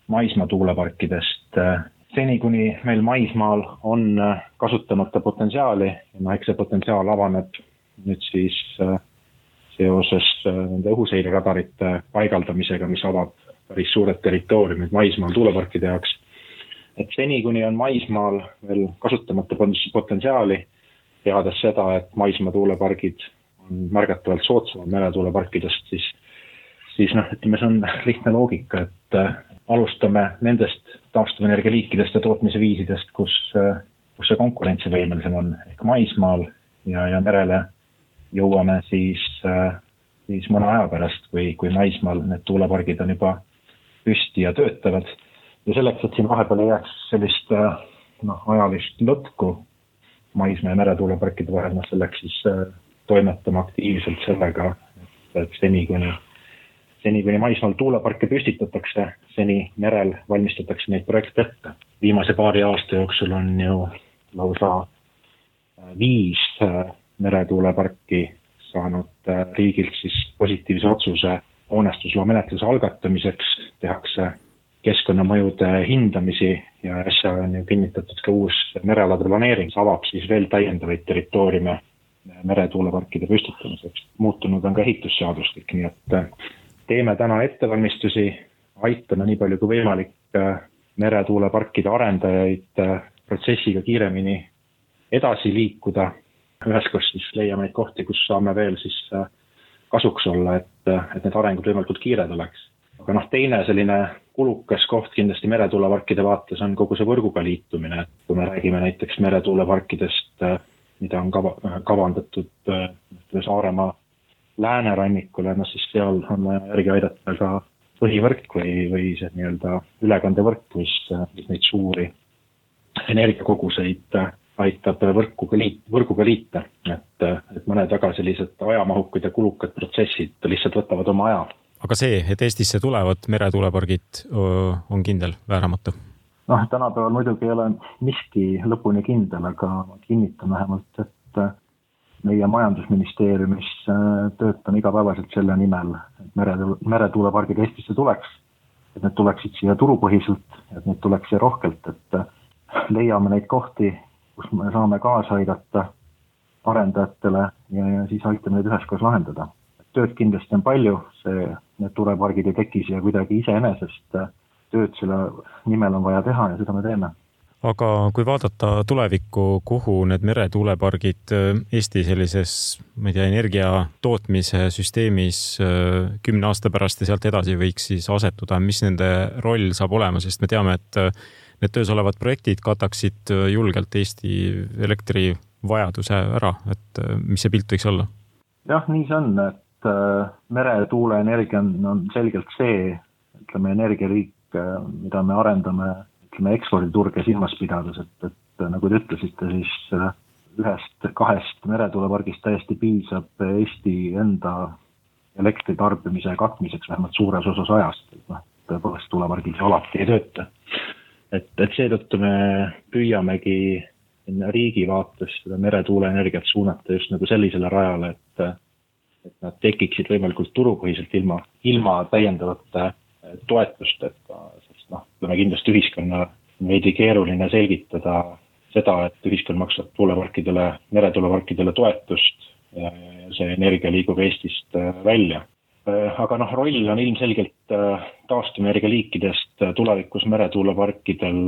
maismaa tuuleparkidest. Seni kuni meil maismaal on kasutamata potentsiaali, no eks see potentsiaal avaneb nüüd siis seoses nende õhuseireradarite paigaldamisega, mis avab päris suured territooriumid maismaal tuuleparkide jaoks. Et seni kuni on maismaal veel kasutamata potentsiaali, teades seda, et maismaa tuulepargid on märgatavalt soodsamad meretuuleparkidest, siis siis noh, ütleme, see on lihtne loogika, et alustame nendest taastuvenergia liikidest ja tootmise viisidest, kus, kus see konkurentsivõimelisem on ehk maismaal ja, ja merele jõuame siis, siis mõne aja pärast, kui, kui maismaal need tuulepargid on juba püsti ja töötavad. Ja selleks, et siin vahepeal ei jääks sellist noh, ajalist lõtku maismaa ja meretuuleparkide vahel, selleks siis toimetame aktiivselt sellega, et seni kuni Seni kuni maismaal tuuleparke püstitatakse, seni merel valmistatakse neid projekte ette. Viimase paari aasta jooksul on ju lausa viis meretuuleparki saanud riigilt siis positiivse otsuse hoonestusloa menetluse algatamiseks, tehakse keskkonnamõjude hindamisi ja äsja on ju kinnitatud ka uus merealade planeering, avab siis veel täiendavaid territooriume meretuuleparkide püstitamiseks. Muutunud on ka ehitusseadustik, nii et teeme täna ettevalmistusi, aitame nii palju kui võimalik meretuuleparkide arendajaid protsessiga kiiremini edasi liikuda. Üheskoos siis leiame neid kohti, kus saame veel siis kasuks olla, et, et need arengud võimalikult kiired oleks. Aga noh, teine selline kulukas koht kindlasti meretuuleparkide vaates on kogu see võrguga liitumine. Kui me räägime näiteks meretuuleparkidest, mida on kava, kavandatud Saaremaa läänerannikule, no siis seal on vaja järgi aidata ka põhivõrk või, või see nii-öelda ülekandevõrk, mis, mis neid suuri energiakoguseid aitab võrkuga, liit, võrguga liita. Et, et mõned väga sellised ajamahukad ja kulukad protsessid lihtsalt võtavad oma aja. Aga see, et Eestisse tulevad meretuulepargid, on kindel, vääramatu? noh, tänapäeval muidugi ei ole miski lõpuni kindel, aga kinnitan vähemalt, et meie majandusministeeriumis töötan igapäevaselt selle nimel, et meretuulepargid Eestisse tuleks, et need tuleksid siia turupõhiselt, et need tuleks siia rohkelt, et leiame neid kohti, kus me saame kaasa aidata arendajatele ja, ja siis aitame neid üheskoos lahendada. Tööd kindlasti on palju, see, need tuulepargid ei teki siia kuidagi iseenesest, tööd selle nimel on vaja teha ja seda me teeme. Aga kui vaadata tulevikku, kuhu need meretuulepargid Eesti sellises, ma ei tea, energia tootmise süsteemis kümne aasta pärast ja sealt edasi võiks siis asetuda, mis nende roll saab olema, sest me teame, et need töös olevad projektid kataksid julgelt Eesti elektrivajaduse ära, et mis see pilt võiks olla? Jah, nii see on, et meretuuleenergia on selgelt see, ütleme, energialiik, mida me arendame, ütleme, eksporditurge silmas pidades, et, et nagu te ütlesite, siis ühest, kahest meretuulepargist täiesti piisab Eesti enda elektritarbimise katmiseks vähemalt suures osas ajast. No, tõepoolest tuulepargid alati ei tööta. Et, et seetõttu me püüamegi riigi vaates seda meretuuleenergiat suunata just nagu sellisele rajale, et, et nad tekiksid võimalikult turupõhiselt ilma, ilma täiendavate toetusteta, sest noh, me kindlasti ühiskonna veidi keeruline selgitada seda, et ühiskond maksab tuuleparkidele, meretuuleparkidele toetust ja see energia liigub Eestist välja. Aga noh, roll on ilmselgelt taastuvenergia liikidest tulevikus meretuuleparkidel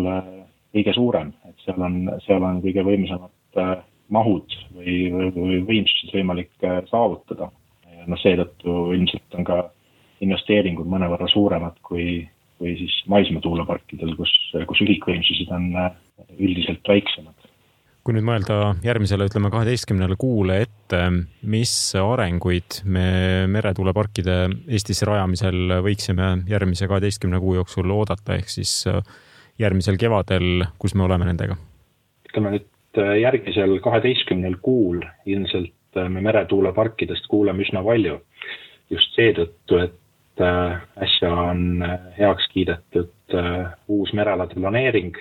kõige suurem, et seal on, seal on kõige võimsamad mahud või, või võimsused võimalik saavutada. Ja no seetõttu ilmselt on ka investeeringud mõnevõrra suuremad kui, kui siis maismaa tuuleparkidel, kus, kus ühikvõimsused on üldiselt väiksemad. Kui nüüd mõelda järgmisele, ütleme kaheteistkümnele kuule ette, mis arenguid me meretuuleparkide Eestis rajamisel võiksime järgmise kaheteistkümne kuu jooksul oodata, ehk siis järgmisel kevadel, kus me oleme nendega? Ütleme nüüd järgmisel kaheteistkümnel kuul ilmselt me meretuuleparkidest kuuleme üsna palju. Just seetõttu, et äsja on heaks kiidetud uus merealade planeering,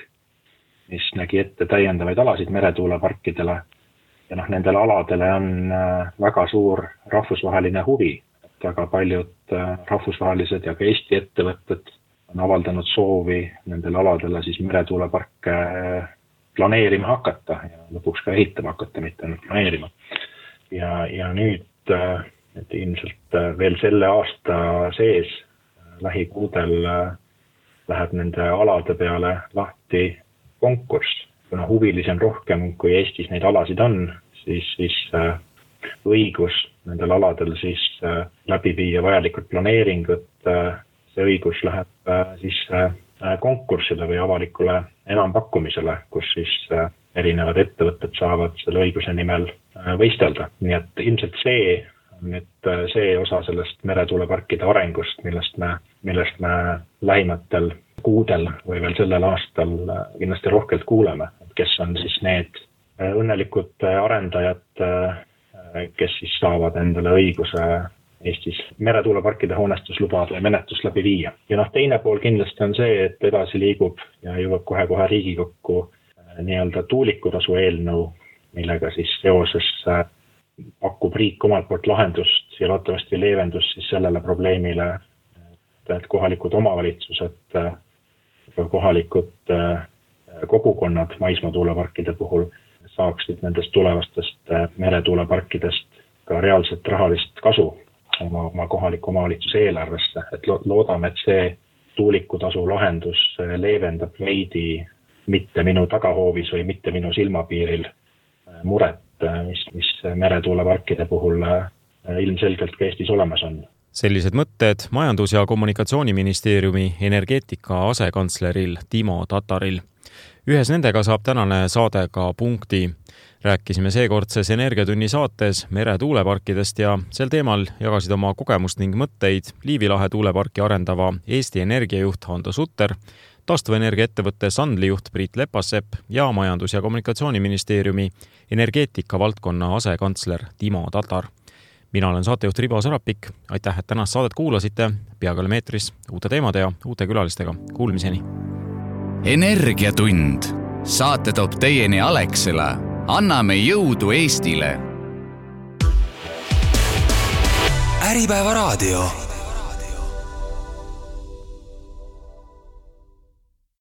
mis nägi ette täiendavaid alasid meretuuleparkidele ja noh, nendele aladele on väga suur rahvusvaheline huvi. Väga paljud rahvusvahelised ja ka Eesti ettevõtted on avaldanud soovi nendele aladele siis meretuuleparke planeerima hakata ja lõpuks ka ehitama hakata, mitte ainult planeerima. Ja, ja nüüd et ilmselt veel selle aasta sees lähikuudel läheb nende alade peale lahti konkurss. Kuna huvilisi on rohkem, kui Eestis neid alasid on, siis, siis õigus nendel aladel siis läbi viia vajalikud planeeringud, see õigus läheb siis konkursile või avalikule enampakkumisele, kus siis erinevad ettevõtted saavad selle õiguse nimel võistelda. Nii et ilmselt see nüüd see osa sellest meretuuleparkide arengust, millest me, millest me lähimatel kuudel või veel sellel aastal kindlasti rohkelt kuuleme, kes on siis need õnnelikud arendajad, kes siis saavad endale õiguse Eestis meretuuleparkide hoonestuslubade ja menetlust läbi viia. Ja noh, teine pool kindlasti on see, et edasi liigub ja jõuab kohe-kohe Riigikokku nii-öelda tuulikutasu eelnõu, millega siis seoses pakub riik omalt poolt lahendust ja loodetavasti leevendust siis sellele probleemile, et kohalikud omavalitsused, kohalikud kogukonnad maismaa tuuleparkide puhul saaksid nendest tulevastest meretuuleparkidest ka reaalset rahalist kasu oma, oma kohaliku omavalitsuse eelarvesse. Et loodame, et see tuulikutasu lahendus leevendab veidi mitte minu tagahoovis või mitte minu silmapiiril muret, mis, mis meretuuleparkide puhul ilmselgelt ka Eestis olemas on. Sellised mõtted Majandus- ja Kommunikatsiooniministeeriumi energeetika asekantsleril Timo Tataril. Ühes nendega saab tänane saade ka punkti. Rääkisime seekordses Energiatunni saates meretuuleparkidest ja sel teemal jagasid oma kogemust ning mõtteid Liivi lahe tuuleparki arendava Eesti energiajuht Hando Sutter, taastuvenergia ettevõtte Sandli juht Priit Lepassepp ja Majandus- ja Kommunikatsiooniministeeriumi energeetika valdkonna asekantsler Timo Tatar. Mina olen saatejuht Ribo Sarapik. Aitäh, et tänast saadet kuulasite. Peagi oleme eetris uute teemade ja uute külalistega. Kuulmiseni. Energiatund. Saate toob teieni Alexela. Anname jõudu Eestile. Äripäeva raadio.